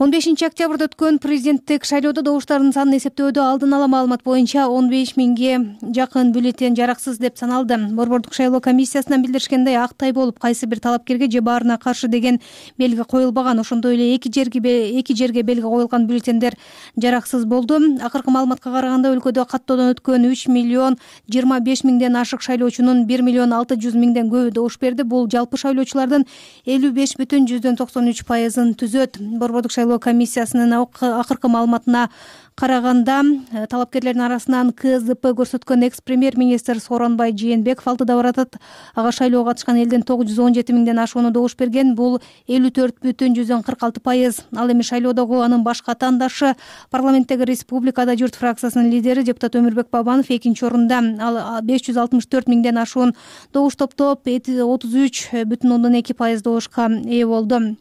он бешинчи октябрда өткөн президенттик шайлоодо добуштардын санын эсептөөдө алдын ала маалымат боюнча он беш миңге жакын бюллетень жараксыз деп саналды. Борбордук шайлоо комиссиясынан билдиришкендей, ак тай болуп кайсы бир талапкерге же баарына каршы деген белги коюлбаган. Ошондой эле эки жерге эки жерге белги коюлган бюллетендер жараксыз болду. Акыркы маалыматка караганда өлкөдө каттоодон өткөн үч миллион жыйырма беш миңден ашык шайлоочунун бир миллион алты жүз миңден көбү добуш берди. Бул жалпы шайлоочулардын элүү беш бүтүн жүздөн токсон үч пайызын түзөт. Борбордук шайлоо комиссиясынын акыркы маалыматына караганда, талапкерлердин арасынан КЗП көрсөткөн экс-премьер-министр Сооронбай Жээнбеков алдыда баратат. Ага шайлоого катышкан элдин тогуз жүз он жети миңден ашууну добуш берген. Бул элүү төрт бүтүн жүздөн кырк алты пайыз. Ал эми шайлоодогу анын баш катандашы, парламенттеги Республикада журт фракциясынын лидери депутат Өмүрбек Бабанов экинчи орунда. Ал беш жүз алтымыш төрт миңден ашуун добуш топтоп, отуз үч бүтүн ондон эки пайыз добушка ээ болду.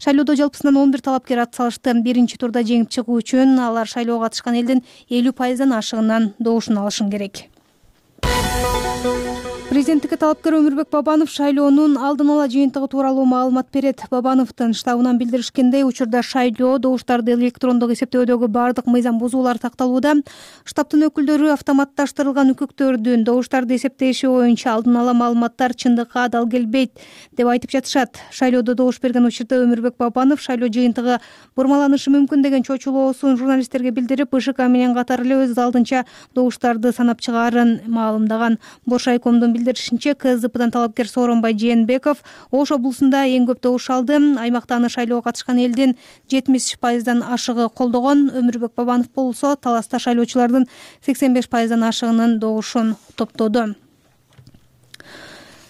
Шайлоодо жалпысынан он бир талапкер ат салышты. Биринчи турда жеңип чыгуу үчүн алар шайлоого катышкан элдин элүү пайыздан ашыгынан добушун алышын керек. Президенттикке талапкер Өмүрбек Бабанов шайлоонун алдын ала жыйынтыгы тууралуу маалымат берет. Бабановдун штабынан билдиришкендей, учурда шайлоо добуштарды электрондук эсептөөдөгү бардык мыйзам бузуулар такталууда. Штабтын өкүлдөрү автоматташтырылган үкүктөрдүн добуштарды эсептеши боюнча алдын ала маалыматтар чындыкка адал келбейт деп айтып жатышат. Шайлоодо добуш берген учурда Өмүрбек Бабанов шайлоо жыйынтыгы бурмаланышы мүмкүн деген чочулоосун журналисттерге билдирип, ИШК менен катар эле өз алдынча добуштарды санап чыгаарын маалымдаган. Боршайкомдун билдиришинче, КЗПдан талапкер Сооронбай Жээнбеков Ош облусунда эң көп добуш алды. Аймакта аны шайлоого катышкан элдин жетимиш пайыздан ашыгы колдогон. Өмүрбек Бабанов болсо таласта шайлоочулардын сексен беш пайыздан ашыгынын добушун топтоду.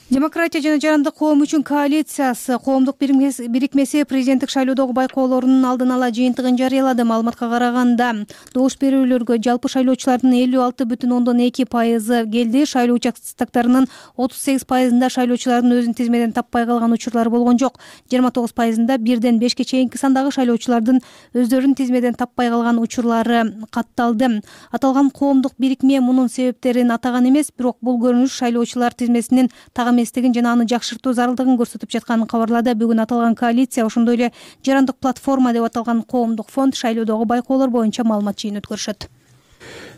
Демократия жана жарандык коом үчүн коалициясы коомдук бирикмеси президенттик шайлоодогу байкоолорунун алдын ала жыйынтыгын жарыялады. Маалыматка караганда, добуш берүүлөргө жалпы шайлоочулардын элүү алты бүтүн ондон эки пайызы келди. Шайлоо участоктарынын отуз сегиз пайызында шайлоочулардын өзүн тизмеден таппай калган учурлар болгон жок. жыйырма тогуз пайызында бирден бешке чейинки сандагы шайлоочулардын өздөрүн тизмеден таппай калган учурлары катталды. Аталган коомдук бирикме мунун себептерин атаган эмес, бирок бул көрүнүш шайлоочулар тизмесинин тагы эместигин жана аны жакшыртуу зарылдыгын көрсөтүп жатканын кабарлады. Бүгүн аталган коалиция, ошондой эле жарандык платформа деп аталган коомдук фонд шайлоодогу байкоолор боюнча маалымат жыйын өткөрүшөт.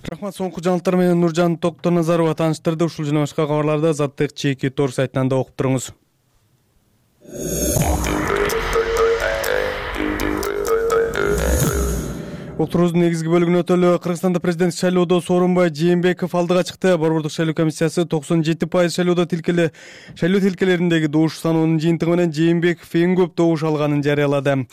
Рахмат, соңку жаңылыктар менен Нуржан Токтоназарова тааныштырды. Ушул жана башка кабарларды Азаттык чеки торг сайтынан да окуп туруңуз. Отурубуздун негизги бөлүгүнө өтөлү. Кыргызстанда президент шайлоодо Сооронбай Жээнбеков алдыга чыкты. Борбордук шайлоо комиссиясы токсон жети пайыз шайлоодо тилкеле шайлоо тилкелериндеги добуш санынын жыйынтыгы менен Жээнбеков эң көп добуш алганын жарыялады.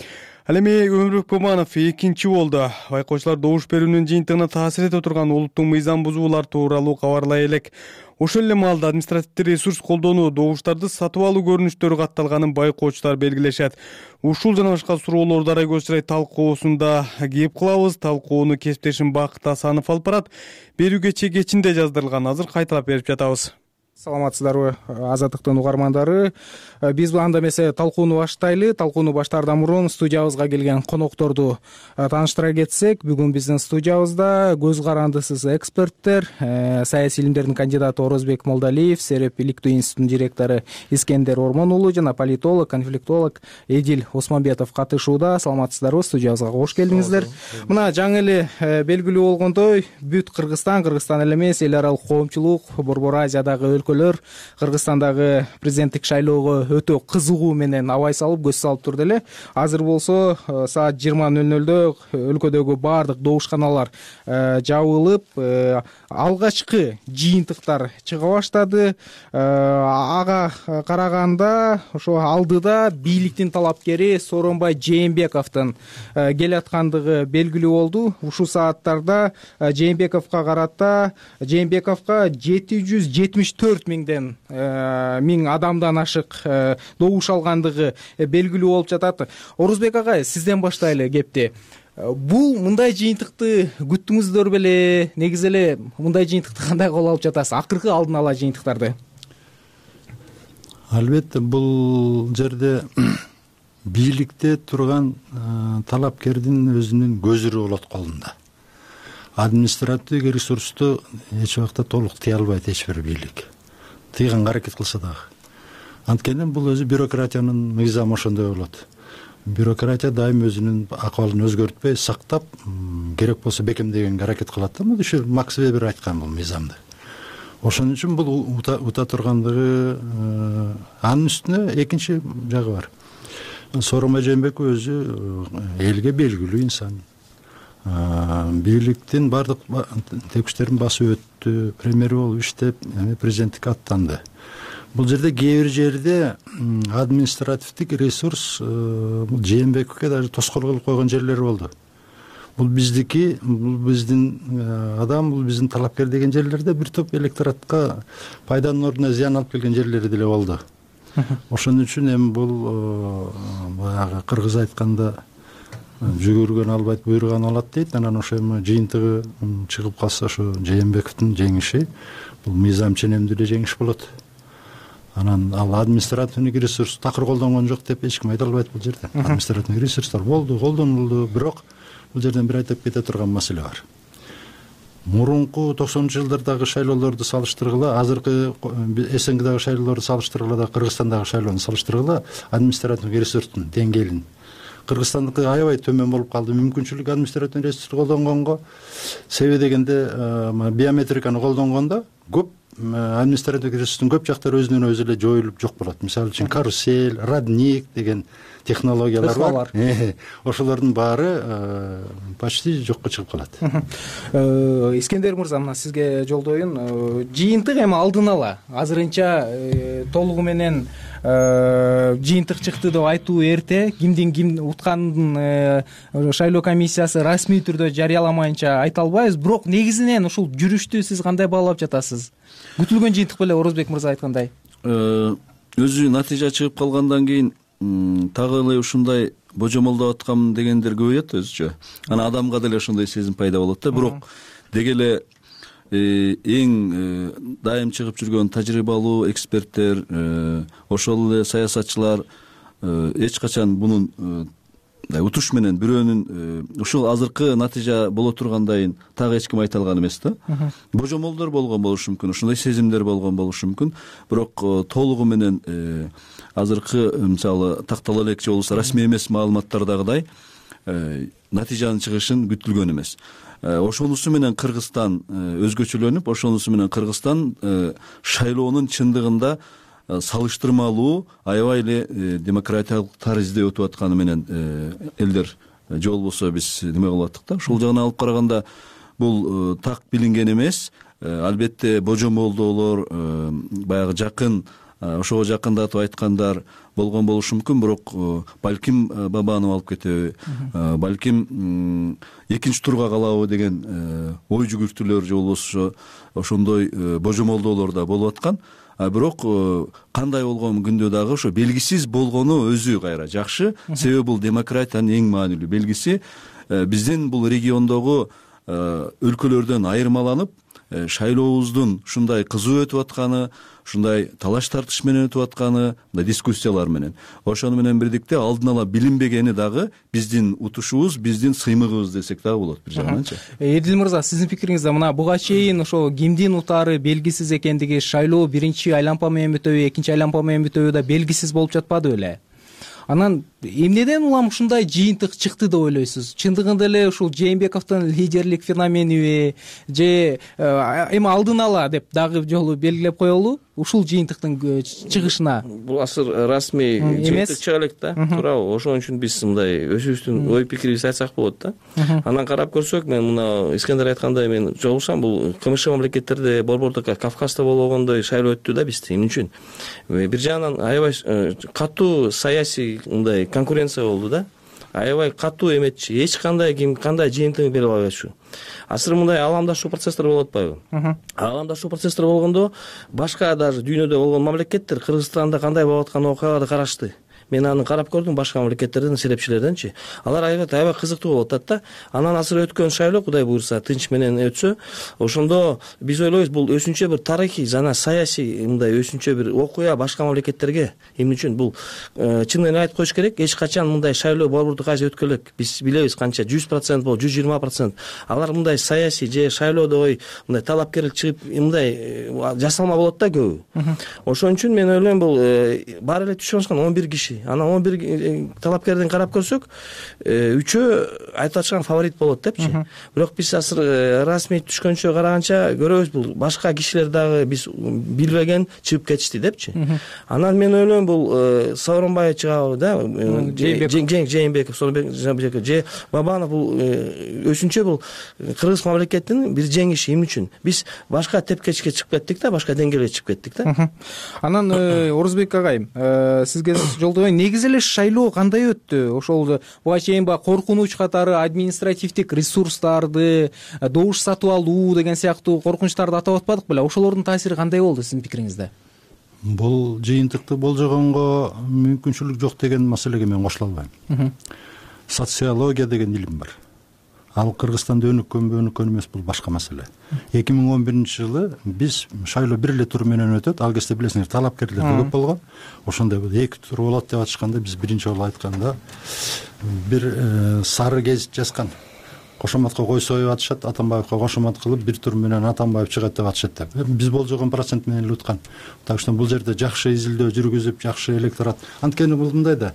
Ал эми Өмүрбек Бабанов экинчи болду. Байкоочулар добуш берүүнүн жыйынтыгына таасир эте турган улуттук мыйзам бузуулар тууралуу кабарлай элек. Ошол эле маалда административдик ресурс колдонуу, добуштарды сатып алуу көрүнүштөрү катталганын байкоочулар белгилешет. Ушул жана башка суроолорду арайгы сырай талкуусунда кеп кылабыз. Талкууну кесиптешим Бакыт Асанов алып барат. Берүүгө чек кечинде жаздырылган. Азыр кайталап берип жатабыз. Саламатсыздарбы Азаттыктын угармандары. Биз анда эмесе талкууну баштайлы. Талкууну баштаардан мурун студиябызга келген конокторду тааныштыра кетсек, бүгүн биздин студиябызда көз карандысыз эксперттер, саясий илимдердин кандидаты Орозбек Молдалиев, Сереп иликтөө институтунун директору Искендер Ормон уулу жана политолог, конфликтолог Эдил Осмонбетов катышууда. Саламатсыздарбы, студиябызга кош келдиңиздер. Мына жаңы эле белгилүү болгондой, бүт Кыргызстан, Кыргызстан эле эмес, эл аралык коомчулук, Борбор Азиядагы өлкөлөр Кыргызстандагы президенттик шайлоого өтө кызыгуу менен абай салып, көз салып турду эле. Азыр болсо саат жыйырма нөл нөлдө өлкөдөгү баардык добушканалар жабылып, алгачкы жыйынтыктар чыга баштады. Ага караганда ошо алдыда бийликтин талапкери Сооронбай Жээнбековдун келаткандыгы белгилүү болду. Ушул сааттарда Жээнбековго карата Жээнбековго жети жүз жетимиш төрт миңден миң адамдан ашык добуш алгандыгы белгилүү болуп жатат. Орозбек агай, сизден баштайлы кепти. Бул мындай жыйынтыкты күттүңүздөр беле? Негизи эле мындай жыйынтыкты кандай кабыл алып жатасыз? Акыркы алдын ала жыйынтыктарды. Албетте, бул жерде бийликте турган талапкердин өзүнүн көзүрү болот колунда. Административдик ресурсту эч убакта толук тыя албайт эч бир бийлик. Тыйганга аракет кылса дагы. Анткени бул өзү бюрократиянын мыйзамы ошондой болот. Бюрократия дайым өзүнүн акыбалын өзгөртпөй сактап, керек болсо бекемдегенге аракет кылат да. Мына ушул Макс Вебер айткан бул мыйзамды. Ошон үчүн бул ута тургандыгы, анын үстүнө экинчи жагы бар. Сооронбай Жээнбеков өзү элге белгилүү инсан. Бийликтин бардык текштерин басып өттү, премьер болуп иштеп, президенттикке аттанды. Бул жерде кээ бир жерде административдик ресурс Жээнбековке даже тоскоол кылып койгон жерлери болду. Бул биздики, бул биздин адам, бул биздин талапкер деген жерлерде бир топ электоратка пайданын ордуна зыян алып келген жерлери деле болду. Ошон үчүн эми бул баягы кыргыз айтканда жүгүргөн албайт, буйруган алат дейт. Анан ошо эми жыйынтыгы чыгып калса, ошо Жээнбековдун жеңиши бул мыйзам ченемдүү эле жеңиш болот. Анан ал административдик ресурс такыр колдонгон жок деп эч ким айта албайт бул жерде. Административдик ресурстар болду, колдонулду, бирок бул жерден бир айтып кете турган маселе бар. Мурунку токсонунчу жылдардагы шайлоолорду салыштыргыла, азыркы СНГдагы шайлоолорду салыштыргыла да Кыргызстандагы шайлоону салыштыргыла, административдик ресурстун деңгээлин Кыргызстандыкы аябай төмөн болуп калды. Мүмкүнчүлүк административдик ресурс колдонгонго, себеби дегенде биометриканы колдонгондо көп административдик ресурстун көп жактары өзүнөн өзү эле жоюлуп жок болот. Мисалы үчүн карусель, родник деген технологиялар бар. Ошолордун баары почти жокко чыгып калат. Искендер мырза, мына сизге жолдоюн. Жыйынтык эми алдын ала азырынча толугу менен жыйынтык чыкты деп айтуу эрте. Кимдин ким утканын шайлоо комиссиясы расмий түрдө жарыяламайынча айта албайбыз. Бирок негизинен ушул жүрүштү сиз кандай баалап жатасыз? Күтүлгөн жыйынтык беле, Орозбек мырза айткандай? Өзү натыйжа чыгып калгандан кийин тагы эле ушундай божомолдоп аткам дегендер көбөйөт өзүчө. Анан адамга деле ошондой сезим пайда болот да. Бирок деги эле эң дайым чыгып жүргөн тажрыйбалуу эксперттер, ошол эле саясатчылар эч качан мунун утуш менен бирөөнүн ушул азыркы натыйжа боло тургандайын так эч ким айта алган эмес да. Божомолдор болгон болушу мүмкүн, ушундай сезимдер болгон болушу мүмкүн. Бирок толугу менен азыркы мисалы тактала элекчи болсо расмий эмес маалыматтардагыдай натыйжанын чыгышын күтүлгөн эмес. Ошонусу менен Кыргызстан өзгөчөлөнүп, ошонусу менен Кыргызстан шайлоонун чындыгында салыштырмалуу аябай эле демократиялык таризде өтүп атканы менен элдер же болбосо биз неме кылып аттык да. Ушул жагынан алып караганда бул так билинген эмес. Албетте божомолдоолор, баягы жакын, ошого жакындатып айткандар болгон болушу мүмкүн, бирок балким Бабанов алып кетеби, балким экинчи турга калабы деген ой жүгүртүүлөр же болбосо ошондой божомолдоолор да болуп аткан. Бирок кандай болгон күндө дагы ошо белгисиз болгону өзү кайра жакшы. Себеби бул демократиянын эң маанилүү белгиси. Биздин бул региондогу өлкөлөрдөн айырмаланып, шайлообуздун ушундай кызуу өтүп атканы, ушундай талаш тартыш менен өтүп атканы, мындай дискуссиялар менен, ошону менен бирдикте алдын ала билинбегени дагы биздин утушубуз, биздин сыймыгыбыз десек дагы болот бир жагынанчы. Эдил мырза, сиздин пикириңизде мына буга чейин ошо кимдин утаары белгисиз экендиги, шайлоо биринчи айлампа менен бүтөбү, экинчи айлампа менен бүтөбү да белгисиз болуп жатпады беле? Анан эмнеден улам ушундай жыйынтык чыкты деп ойлойсуз? Чындыгында эле ушул Жээнбековдун лидерлик феномениби же эми алдын ала деп дагы жолу белгилеп коелу ушул жыйынтыктын чыгышына? Бул азыр расмий жыйынтык чыга элек да, туурабы? Ошон үчүн биз мындай өзүбүздүн ой пикирибизди айтсак болот да. Анан карап көрсөк, мен мына Искендер айткандай мен жолугушам, бул КМШ мамлекеттерде, Борбордук Кавказда болгондой шайлоо өттү да бизде. Эмне үчүн? Бир жагынан аябай катуу саясий мындай конкуренция болду да. Аябай катуу эметчи, эч кандай ким кандай жыйынтыгын бере албайчу. Азыр мындай аламдашуу процесстер болуп атпайбы? Аламдашуу процесстер болгондо башка даже дүйнөдө болгон мамлекеттер Кыргызстанда кандай болуп аткан окуяларды карашты. Мен аны карап көрдүм башка мамлекеттерден, серепчилерденчи. Алар аябай аябай кызыктуу болуп атат да. Анан азыр өткөн шайлоо Кудай буйрса тынч менен өтсө, ошондо биз ойлойбуз бул өзүнчө бир тарыхый жана саясий мындай өзүнчө бир окуя башка мамлекеттерге. Эмне үчүн бул чынын эле айтып коюш керек, эч качан мындай шайлоо Борбордук Азия өткөн элек. Биз билебиз канча жүз процент болуп, жүз жыйырма процент. Алар мындай саясий же шайлоодо ой мындай талапкерлик чыгып, мындай жасалма болот да көбү. Ошон үчүн мен ойлойм бул баары эле түшүп алышкан он бир киши. Анан он бир талапкерден карап көрсөк, үчөө айтып атышкан фаворит болот депчи. Бирок биз азыр расмий түшкөнчө караганча көрөбүз, бул башка кишилер дагы биз билбеген чыгып кетишти депчи. Анан мен ойлойм бул Сооронбай чыгабы да, Жээнбеков, Сооронбек же Бабанов, бул өзүнчө бул кыргыз мамлекетинин бир жеңиши. Эмне үчүн? Биз башка тепкечке чыгып кеттик да, башка деңгээлге чыгып кеттик да. Анан Орузбек агайым, сизге жолдогон негизи эле шайлоо кандай өттү? Ошол буга чейин баягы коркунуч катары административдик ресурстарды, добуш сатып алуу деген сыяктуу коркунучтарды атап атпадык беле? Ошолордун таасири кандай болду сиздин пикириңизде? Бул жыйынтыкты болжогонго мүмкүнчүлүк жок деген маселеге мен кошула албайм. Социология деген илим бар. Ал Кыргызстанда өнүккөнбү өнүккөн эмес, бул башка маселе. эки миң он биринчи жылы биз шайлоо бир эле тур менен өтөт. Ал кезде билесиңер, талапкерлер көп болгон. Ошондой эки тур болот деп атышканда биз биринчи жолу айтканда бир сары гезит жазган. Кошоматка кой союп атышат, Атамбаевка кошомат кылып бир тур менен Атамбаев чыгат деп атышат деп. Биз болжогон процент менен эле уткан. Так что бул жерде жакшы изилдөө жүргүзүп, жакшы электорат. Анткени бул мындай да,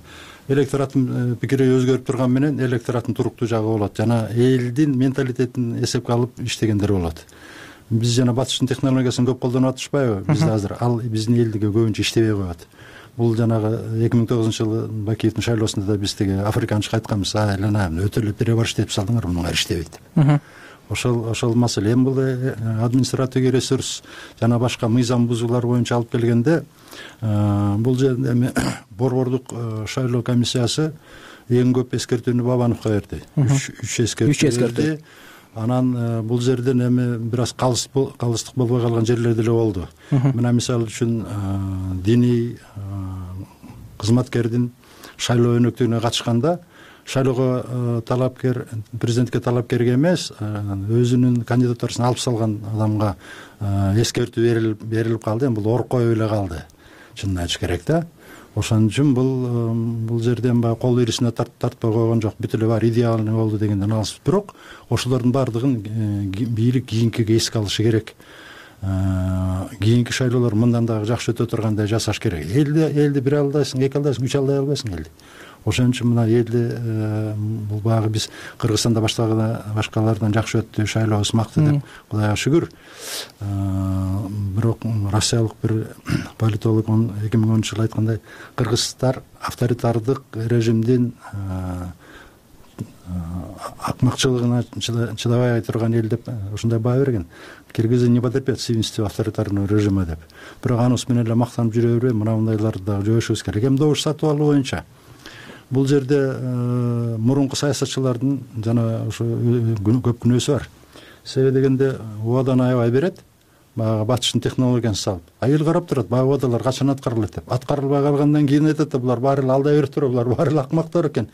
электораттын пикири өзгөрүп турган менен электораттын туруктуу жагы болот. Жана элдин менталитетин эсепке алып иштегендер болот. Биз жана батыштын технологиясын көп колдонуп атышпайбы? Бизде азыр ал биздин элдиге көбүнчө иштебей коет. Бул жанагы эки миң тогузунчу жылы Бакиевдин шайлоосунда да биз теге африканчы айтканбыз, а элена өтө эле перебор иштеп салдыңар, мунуңар иштебейт деп. Ошол ошол маселе. Эми бул административдик ресурс жана башка мыйзам бузуулар боюнча алып келгенде, бул жерде эми Борбордук шайлоо комиссиясы эң көп эскертүүнү Бабановго берди. үч эскертүү берди. Анан бул жерден эми бир аз калыстык болбой калган жерлер деле болду. Мына мисалы үчүн диний кызматкердин шайлоо өнөктүгүнө катышканда шайлоого талапкер, президентке талапкерге эмес, өзүнүн кандидатурасын алып салган адамга эскертүү берилип калды. Эми бул оркой эле калды, чынын айтыш керек да. Ошон үчүн бул бул жерден баягы кол ирисине тартпай койгон жок, бүт эле баары идеалный болду дегенден алыс. Бирок ошолордун баардыгын бийлик кийинкиге эске алышы керек. Кийинки шайлоолор мындан дагы жакшы өтө тургандай жасаш керек. Элди элди бир алдайсың, эки алдайсың, үч алдай албайсың элди. Ошон үчүн мына элди бул багы биз Кыргызстанда башкалардан жакшы өттү, шайлоо ысмакты деп Кудайга шүгүр. Бирок россиялык бир политолог эки миң онунчу жылы айткандай, кыргыздар авторитардык режимдин акмакчылыгына чыдабай турган эл деп ушундай баа берген. Киргизы не потерпят свинства авторитарного режима деп. Бирок анысы менен эле мактанып жүрө бербей, мына мындайларды дагы жоюшубуз керек. Эми добуш сатып алуу боюнча бул жерде мурунку саясатчылардын жана ошо көп күнөөсү бар. Себеби дегенде убадан аябай берет, баягы батыштын технологиясын салып. А эл карап турат, баягы убадалар качан аткарылат деп. Аткарылбай калгандан кийин айтат да, булар баары эле алдай берип туруп, булар баары эле акмактар экен.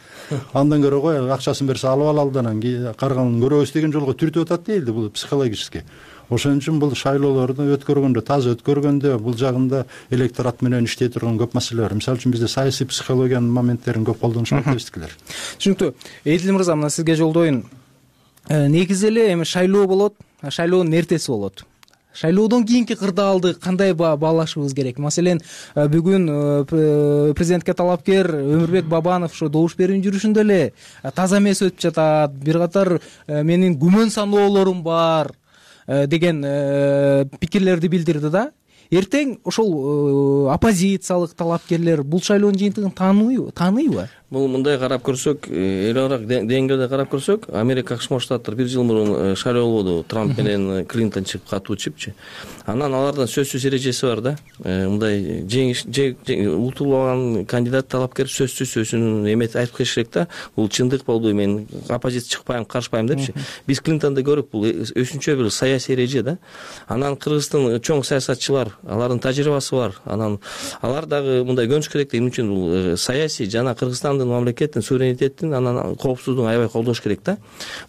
Андан көрө кой, акчасын берсе алып алалы, анан карганын көрөбүз деген жолго түртүп атат дейли, бул психологически. ошон үчүн бул шайлоолорду өткөргөндө таза өткөргөндө бул жагында электорат менен иштей турган көп маселе бар. Мисалы үчүн бизде саясий психологиянын моменттерин көп колдонушат дебизтикилер. Түшүнүктүү. Эдил мырза, мына сизге жолдоюн. Негизи эле эми шайлоо болот, шайлоонун эртеси болот. Шайлоодон кийинки кырдаалды кандай баалашыбыз керек? Маселен, бүгүн президентке талапкер Өмүрбек Бабанов ошо добуш берүүнүн жүрүшүндө эле таза эмес өтүп жатат, бир катар менин күмөн саноолорум бар деген пикирлерди билдирди да. Эртең ошол оппозициялык талапкерлер бул шайлоонун жыйынтыгын тааныйбы? Тааныйбы? Бул мындай карап көрсөк, эл аралык деңгээлде карап көрсөк, Америка Кошмо Штаттар бир жыл мурун шайлоо болду, Трамп менен Клинтон чыгып катуу чыпчы. Анан алардын сөзсүз эрежеси бар да. Мындай жеңиш утулган кандидат талапкер сөзсүз өзүнүн эметип айтып келиш керек да. Бул чындык болду, мен оппозиция чыкпайм, каршыбайм депчи. Биз Клинтонду көрүп, бул өзүнчө бир саясий эреже да. Анан Кыргыздын чоң саясатчылар, алардын тажрыйбасы бар. Анан алар дагы мындай көнүш керек да. Эмне үчүн бул саясий жана Кыргызстан мамлекеттин суверенитетин анан коопсуздугун аябай колдош керек да.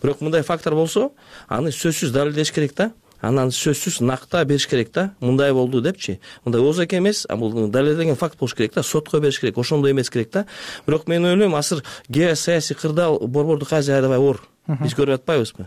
Бирок мындай фактор болсо, аны сөзсүз далилдеш керек да. Анан сөзсүз накта бериш керек да. Мындай болду депчи. Мындай оозак эмес, а бул далилденген факт болуш керек да. Сотко бериш керек, ошондой эмес керек да. Бирок мен ойлойм, азыр геосаясий кырдаал борбордук Азия аябай оор. Биз көрүп атпайбызбы?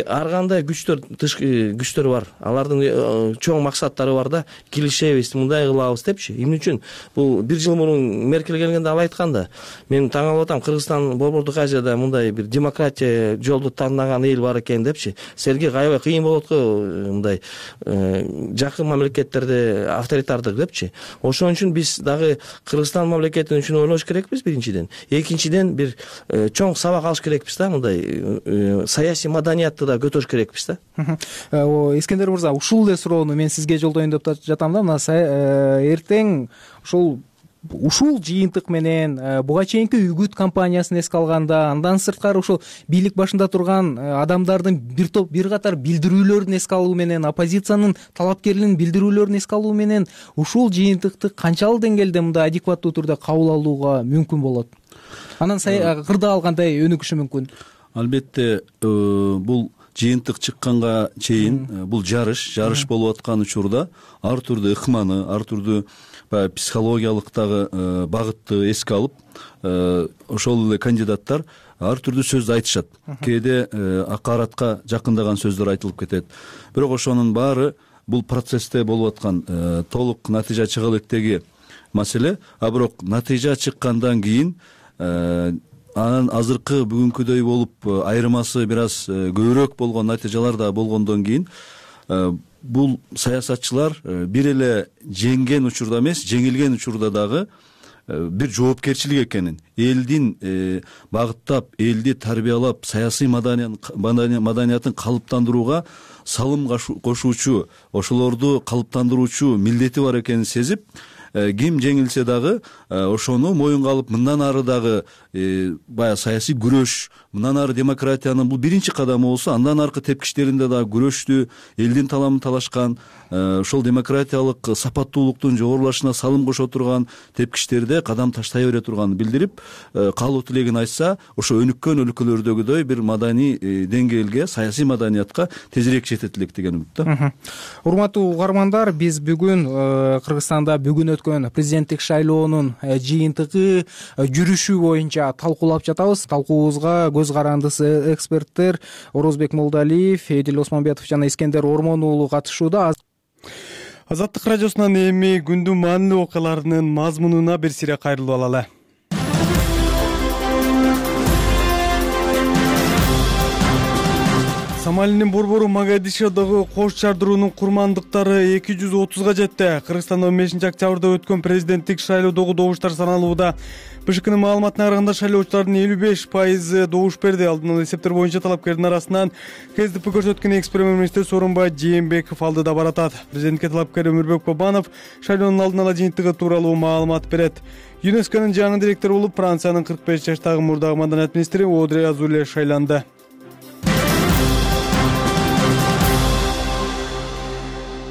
Ар кандай күчтөр, тышкы күчтөр бар. Алардын чоң максаттары бар да. Килишебиз, мындай кылабыз депчи. Эмне үчүн бул бир жыл мурун Меркель келгенде ал айтканда, мен таң калып атам, Кыргызстан борбордук Азияда мындай бир демократия жолду тандаган эл бар экен депчи. Силерге аябай кыйын болот го мындай жакын мамлекеттерде авторитардык депчи. Ошон үчүн биз дагы Кыргызстан мамлекети үчүн ойлош керекпиз биринчиден. Экинчиден бир чоң сабак алыш керекпиз да, мындай саясий маданиятты да көтөрүш керекпиз да. Искендер мырза, ушул эле суроону мен сизге жолдоюн деп жатам да. Мына эртең ушул ушул жыйынтык менен буга чейинки үгүт кампаниясын эске алганда, андан сырткары ушул бийлик башында турган адамдардын бир топ бир катар билдирүүлөрүн эске алуу менен, оппозициянын талапкерлигин билдирүүлөрүн эске алуу менен ушул жыйынтыкты канчалык деңгээлде мындай адекваттуу түрдө кабыл алууга мүмкүн болот? Анан кырдаал кандай өнүгүшү мүмкүн? Албетте, бул жыйынтык чыкканга чейин бул жарыш, жарыш болуп аткан учурда ар түрдүү ыкманы, ар түрдүү баягы психологиялык дагы багытты эске алып, ошол эле кандидаттар ар түрдүү сөз айтышат. Кээде акаратка жакындаган сөздөр айтылып кетет. Бирок ошонун баары бул процессте болуп аткан толук натыйжа чыга электеги маселе. А бирок натыйжа чыккандан кийин анан азыркы бүгүнкүдөй болуп айырмасы бир аз көбүрөөк болгон натыйжалар да болгондон кийин бул саясатчылар бир эле жеңген учурда эмес, жеңилген учурда дагы бир жоопкерчилик экенин, элдин багыттап, элди тарбиялап, саясий маданиятын калыптандырууга салым кошуучу, ошолорду калыптандыруучу милдети бар экенин сезип, ким жеңилсе дагы ошону моюнга алып, мындан ары дагы баягы саясий күрөш, мындан ары демократиянын бул биринчи кадамы болсо, андан аркы тепкичтеринде дагы күрөштү, элдин таламын талашкан, ошол демократиялык сапаттуулуктун жогорулашына салым кошо турган тепкичтерде кадам таштай бере турганын билдирип, каалоо тилегин айтса, ошо өнүккөн өлкөлөрдөгүдөй бир маданий деңгээлге, саясий маданиятка тезирээк жетет элек деген үмүт да. Урматтуу угармандар, биз бүгүн Кыргызстанда бүгүн өткөн президенттик шайлоонун жыйынтыгы, жүрүшү боюнча талкуулап жатабыз. Талкуубузга көз карандысы эксперттер Орозбек Молдалиев, Эдил Осмонбетов жана Искендер Ормон уулу катышууда. Азаттык радиосунан эми күндүн маанилүү окуяларынын мазмунуна бир сире кайрылып алалы. Сомалинин борбору Могадишодогу кош жардыруунун курмандыктары эки жүз отузга жетти. Кыргызстанда он бешинчи октябрда өткөн президенттик шайлоодогу добуштар саналууда. БШКнын маалыматына караганда шайлоочулардын элүү беш пайызы добуш берди. Алдын ала эсептер боюнча талапкердин арасынан КСДП көрсөткөн экс премьер-министр Сооронбай Жээнбеков алдыда баратат. Президентке талапкер Өмүрбек Бабанов шайлоонун алдын ала жыйынтыгы тууралуу маалымат берет. ЮНЕСКОнун жаңы директору болуп Франциянын кырк беш жаштагы мурдагы маданият министри Одри Азуле шайланды.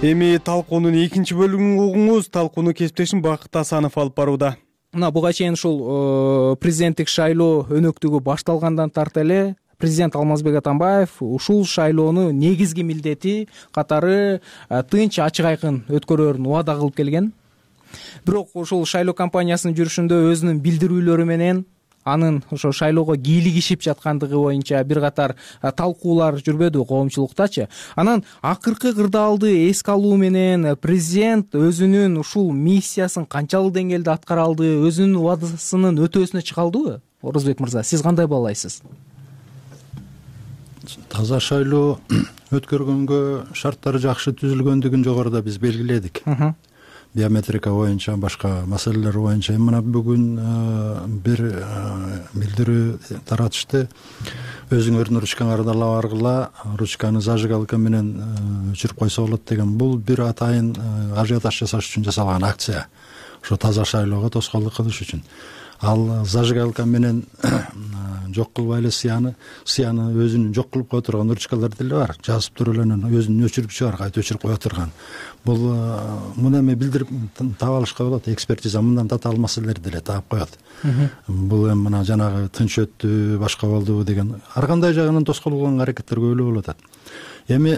Эми талкуунун экинчи бөлүгүн угуңуз. Талкууну кесиптешим Бакыт Асанов алып барууда. Мына буга чейин ушул президенттик шайлоо өнөктүгү башталгандан тарта эле президент Алмазбек Атамбаев ушул шайлоону негизги милдети катары тынч, ачык, айкын өткөрөөрүн убада кылып келген. Бирок ушул шайлоо кампаниясынын жүрүшүндө өзүнүн билдирүүлөрү менен анын ошо шайлоого кийлигишип жаткандыгы боюнча бир катар талкуулар жүрбөдү коомчулуктачы. Анан акыркы кырдаалды эске алуу менен президент өзүнүн ушул миссиясын канчалык деңгээлде аткара алды, өзүнүн убадасынын өтөөсүнө чыга алдыбы? Орозбек мырза, сиз кандай баалайсыз? Таза шайлоо өткөргөнгө шарттары жакшы түзүлгөндүгүн жогоруда биз белгиледик. Биометрика боюнча, башка маселелер боюнча. Мына бүгүн бир билдирүү таратышты. Өзүңөрдүн ручкаңарды ала баргыла, ручканы зажигалка менен өчүрүп койсо болот деген. Бул бир атайын ажиотаж жасаш үчүн жасалган акция. Ошо таза шайлоого тоскоолдук кылыш үчүн. Ал зажигалка менен жок кылбай эле сыяны, сыяны өзүнүн жок кылып кое турган ручкалар деле бар. Жазып туруп эле өзүнүн өчүргүчү бар, кайта өчүрүп кое турган. Бул муну эми билдирип таап алышка болот. Экспертиза мындан тата алмасалар деле таап коет. Бул эми мына жанагы тынч өттү, башка болду деген ар кандай жагынан тоскоол кылган аракеттер көбүлө болуп атат. Эми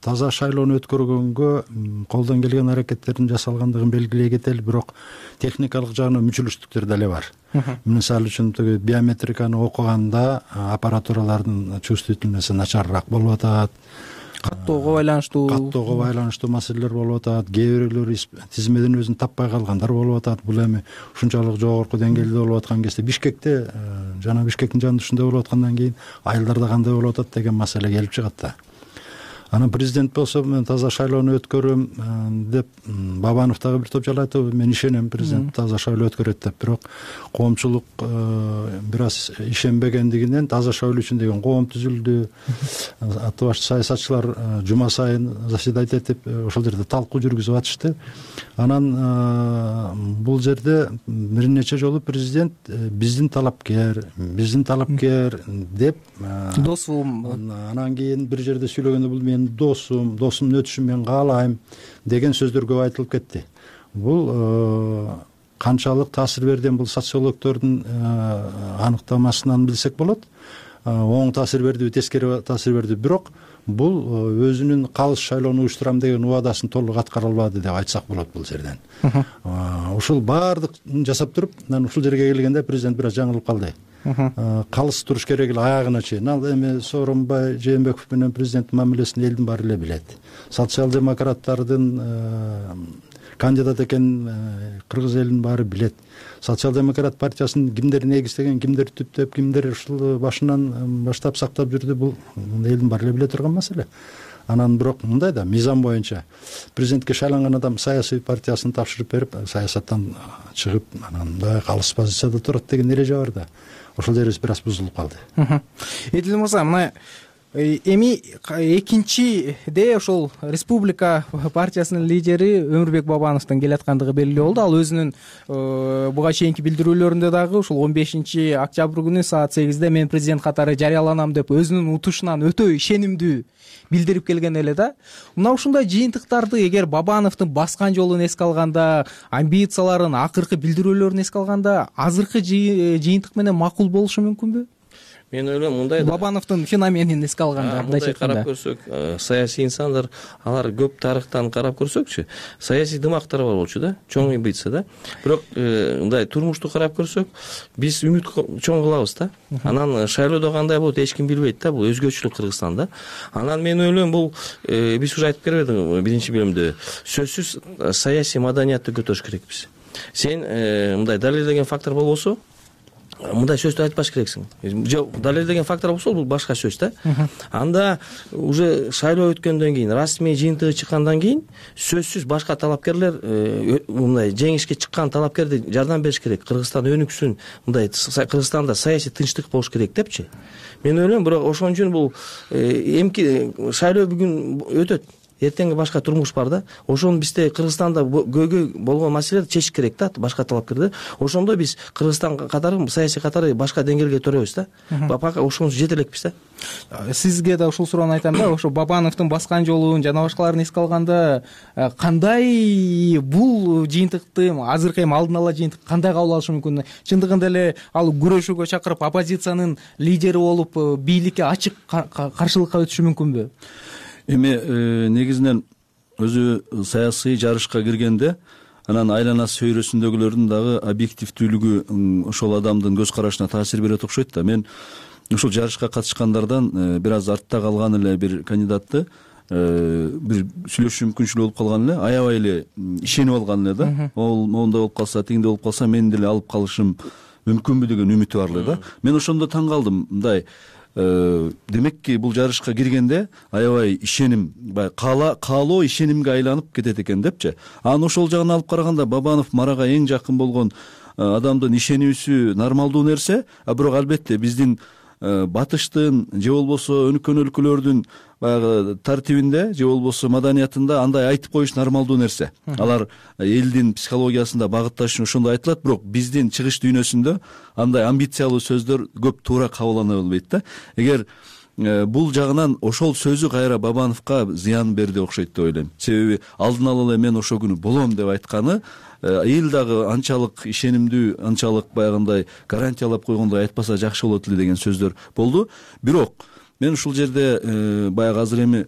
таза шайлоону өткөргөнгө колдон келген аракеттердин жасалгандыгын белгилей кетели, бирок техникалык жагынан мүчүлүштүктөр деле бар. Мисалы үчүн тиги биометриканы окуганда аппаратуралардын чувствительности начарыраак болуп атат. Каттоого байланыштуу каттоого байланыштуу маселелер болуп атат. Кээ бирлери тизмеден өзүн таппай калгандар болуп атат. Бул эми ушунчалык жогорку деңгээлде болуп аткан кезде Бишкекте жана Бишкектин жанында ушундай болуп аткандан кийин айылдарда кандай болуп атат деген маселе келип чыгат да. Анан президент болсо мен таза шайлоону өткөрөм деп Бабанов дагы бир топ жала айтты. Мен ишенем президент таза шайлоо өткөрөт деп. Бирок коомчулук бир аз ишенбегендигинен таза шайлоо үчүн деген коом түзүлдү. Аты баш саясатчылар жума сайын заседать этип ошол жерде талкуу жүргүзүп атышты. Анан бул жерде бир нече жолу президент биздин талапкер, биздин талапкер деп досум, анан кийин бир жерде сүйлөгөндө бул мен досум, досумдун өтүшүн мен каалайм деген сөздөр көп айтылып кетти. Бул канчалык таасир берден бул социологдордун аныктамасынан билсек болот. Оң таасир бердиби, тескери таасир берди. Бирок бул өзүнүн калыс шайлоону уюштурам деген убадасын толук аткара албады деп айтсак болот бул жерден. Ушул баардык жасап туруп, анан ушул жерге келгенде президент бир аз жаңылып калды. Калыс туруш керек эле аягына чейин. Ал эми Сооронбай Жээнбеков менен президенттин мамилесин элдин баары эле билет. Социал-демократтардын кандидат экенин кыргыз элинин баары билет. Социал-демократ партиясын кимдер негиздеген, кимдер түптөп, кимдер ушул башынан баштап сактап жүрдү, бул элдин баары эле биле турган маселе. Анан бирок мындай да мыйзам боюнча президентке шайланган адам саясий партиясын тапшырып берип, саясаттан чыгып, анан мындай калыс позицияда турат деген эреже бар да. Ошол жерибиз бир аз бузулуп калды. Эдил мырза, мына эми экинчиде ошол Республика партиясынын лидери Өмүрбек Бабановдун келаткандыгы белгилүү болду. Ал өзүнүн буга чейинки билдирүүлөрүндө дагы ушул он бешинчи октябрь күнү саат сегизде мен президент катары жарыяланам деп өзүнүн утушунан өтө ишенимдүү билдирип келген эле да. Мына ушундай жыйынтыктарды эгер Бабановдун баскан жолун эске алганда, амбицияларын, акыркы билдирүүлөрүн эске алганда, азыркы жыйынтык менен макул болушу мүмкүнбү? Мен ойлойм мындай Бабановдун феноменин эске алганда, мындай карап көрсөк, саясий инсандар алар көп тарыхтан карап көрсөкчү, саясий дымактар бар болчу да, чоң амбиция да. Бирок мындай турмушту карап көрсөк, биз үмүт чоң кылабыз да. Анан шайлоодо кандай болот эч ким билбейт да, бул өзгөчөлүк Кыргызстанда. Анан мен ойлойм бул биз уже айтып бербедиңби биринчи бөлүмдө, сөзсүз саясий маданиятты көтөрүш керекпиз. Сен мындай далилдеген фактор болбосо, мындай сөздү айтпаш керексиң. Жок, далилдеген фактор болсо бул башка сөз да. Анда уже шайлоо өткөндөн кийин, расмий жыйынтыгы чыккандан кийин сөзсүз башка талапкерлер мындай жеңишке чыккан талапкерди жардам бериш керек. Кыргызстан өнүксүн, мындай Кыргызстанда саясий тынчтык болуш керек депчи. Мен ойлойм, бирок ошон үчүн бул эмки шайлоо бүгүн өтөт. эртеңки башка турмуш бар да. Ошону бизде Кыргызстанда көйгөй болгон маселелерди чечиш керек да, башка талапкерди. Ошондо биз Кыргызстан катары, саясий катары башка деңгээлге төрөбүз да. Пока ошонусу жете элекпиз да. Сизге да ушул суроону айтам да, ошо Бабановдун баскан жолун жана башкаларын эске алганда кандай бул жыйынтыкты азыркы эми алдын ала жыйынтык кандай кабыл алышы мүмкүн? Чындыгында эле ал күрөшүүгө чакырып оппозициянын лидери болуп бийликке ачык каршылыкка өтүшү мүмкүнбү? Эми негизинен өзү саясий жарышка киргенде анан айланасы чөйрөсүндөгүлөрдүн дагы объективдүүлүгү ошол адамдын көз карашына таасир берет окшойт да. Мен ушул жарышка катышкандардан бир аз артта калган эле бир кандидатты бир сүйлөшүү мүмкүнчүлүгү болуп калган эле, аябай эле ишенип алган эле да. Ол моундай болуп калса, тигиндей болуп калса мен деле алып калышым мүмкүнбү деген үмүтү бар эле да. Мен ошондо таң калдым, мындай демекки бул жарышка киргенде аябай ишеним, баягы каалоо ишенимге айланып кетет экен депчи. Анан ошол жагын алып караганда Бабанов Марага эң жакын болгон адамдын ишенүүсү нормалдуу нерсе, а бирок албетте биздин батыштын же болбосо өнүккөн өлкөлөрдүн баягы тартибинде же болбосо маданиятында андай айтып коюш нормалдуу нерсе. Алар элдин психологиясында багытташ үчүн ошондой айтылат, бирок биздин чыгыш дүйнөсүндө андай амбициялуу сөздөр көп туура кабылдана албайт да. Эгер бул жагынан ошол сөзү кайра Бабановго зыян берди окшойт деп ойлойм. Себеби алдын ала эле мен ошол күнү болом деп айтканы эл дагы анчалык ишенимдүү, анчалык баягындай гарантиялап койгондой айтпаса жакшы болот эле деген сөздөр болду. Бирок мен ушул жерде баягы азыр эми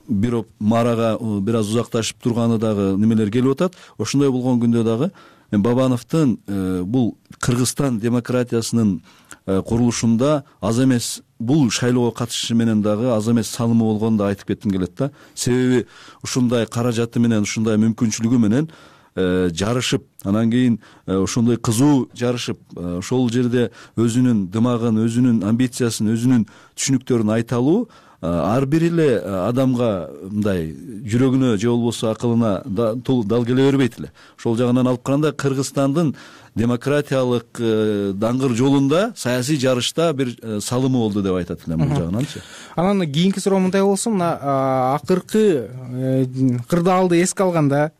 бирок Марага бир аз узакташып турганы дагы немелер келип атат. Ошондой болгон күндө дагы Бабановдун бул Кыргызстан демократиясынын курулушунда аз эмес, бул шайлоого катышышы менен дагы аз эмес салымы болгонун да айтып кетким келет да. Себеби ушундай каражаты менен, ушундай мүмкүнчүлүгү менен жарышып, анан кийин ошондой кызуу жарышып, ошол жерде өзүнүн дымагын, өзүнүн амбициясын, өзүнүн түшүнүктөрүн айта алуу ар бир эле адамга мындай жүрөгүнө же болбосо акылына дал келе бербейт эле. Ошол жагынан алып караганда Кыргызстандын демократиялык даңгыр жолунда, саясий жарышта бир салымы болду деп айтат элем бул жагынанчы. Анан кийинки суроо мындай болсун, мына акыркы кырдаалды эске алганда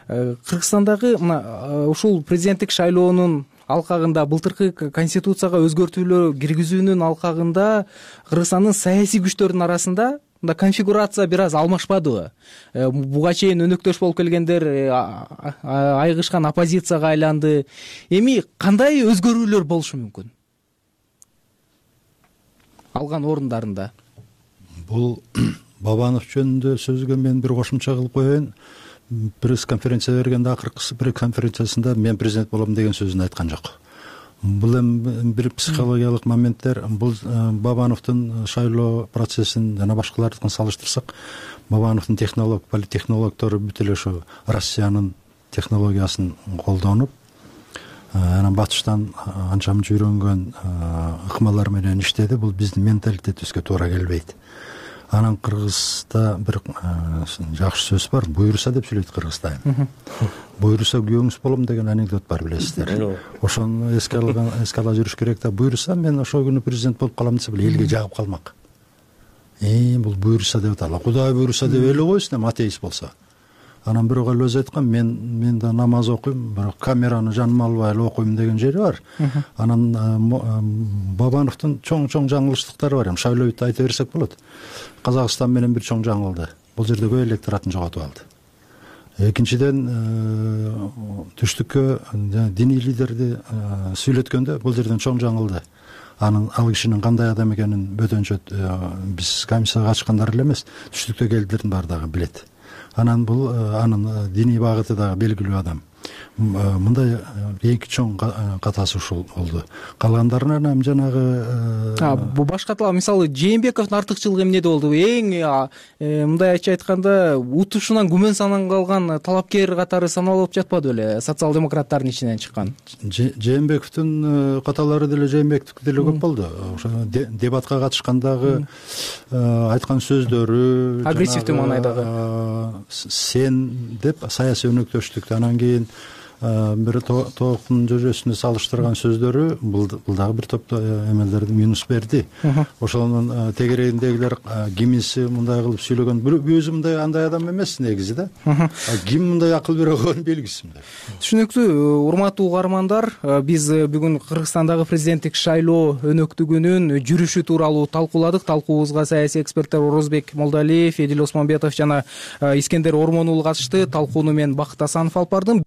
Кыргызстандагы мына ушул президенттик шайлоонун алкагында, былтыркы конституцияга өзгөртүүлөр киргизүүнүн алкагында Кыргызстандын саясий күчтөрүнүн арасында мында конфигурация бир аз алмашпадыбы? Буга чейин өнөктөш болуп келгендер айгышкан оппозицияга айланды. Эми кандай өзгөрүүлөр болушу мүмкүн алган орундарында? Бул Бабанов жөнүндө сөзгө мен бир кошумча кылып коеюн. Пресс-конференция бергенде, акыркы пресс-конференциясында мен президент болом деген сөзүн айткан жок. Бул эми бир психологиялык моменттер. Бул Бабановдун шайлоо процессин жана башкалардыкын салыштырсак, Бабановдун технолог, политтехнологдору бүт эле ошо Россиянын технологиясын колдонуп, анан батыштан анча мынча үйрөнгөн ыкмалар менен иштеди. Бул биздин менталитетибизге туура келбейт. Анан Кыргызда бир жакшы сөз бар, буйруса деп сүйлөйт Кыргызда. Буйруса күйөөңүз болом деген анекдот бар, билесиздер. Ошону эске алган, эске ала жүрүш керек да. Буйруса мен ошол күнү президент болуп калам десе, бул элге жагып калмак. Э, бул буйруса деп аталат. Кудай буйруса деп эле койсун, атеист болсо. Анан бирок эле өзү айткан, мен мен да намаз окуйм, бирок камераны жаныма албай эле окуйм деген жери бар. Анан Бабановдун чоң-чоң жаңылыштыктары бар. Эми шайлоо бүт айта берсек болот. Казакстан менен бир чоң жаңылды. Бул жерде көп электоратын жоготуп алды. Экинчиден, түштүккө диний лидерди сүйлөткөндө бул жерден чоң жаңылды. Анын ал кишинин кандай адам экенин бөтөнчө биз комиссияга ачкандар эле эмес, түштүктө келдилердин баардыгы билет. Анан бул анын диний багыты дагы белгилүү адам. Мындай эки чоң катасы ушул болду. Калгандарынан эми жанагы бул башкатла, мисалы Жээнбековдун артыкчылыгы эмнеде болду? Эң мындай ачык айтканда утушунан күмөн саналган калган талапкер катары саналып жатпады беле, социал-демократтардын ичинен чыккан? Жээнбековдун каталары деле Жээнбековдук деле көп болду. Ошо дебатка катышкандагы айткан сөздөрү, агрессивдүү маанайдагы сен деп саясий өнөктөштүктү, анан кийин бир тооктун жожосунда салыштырган сөздөрү бул дагы бир топ эмелерди минус берди. Ошонун тегерегиндегилер кимиси мындай кылып сүйлөгөн, өзү мындай андай адам эмес негизи да. Ким мындай акыл бере койгон белгисиз. Түшүнүктүү. Урматтуу угармандар, биз бүгүн Кыргызстандагы президенттик шайлоо өнөктүгүнүн жүрүшү тууралуу талкууладык. Талкуубузга саясий эксперттер Орозбек Молдалиев, Эдил Осмонбетов жана Искендер Ормон уулу катышты. Талкууну мен Бакыт Асанов алып бардым.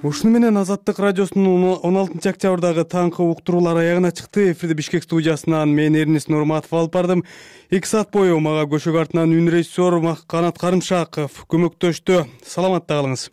Ушуну менен Азаттык радиосунун он алтынчы октябрдагы таңкы уктуруулар аягына чыкты. Эфирде Бишкек студиясынан мен Эрнис Нурматов алып бардым. эки саат бою мага көшөк артынан үн режиссер Канат Карымшаков көмөктөштү. Саламатта калыңыз.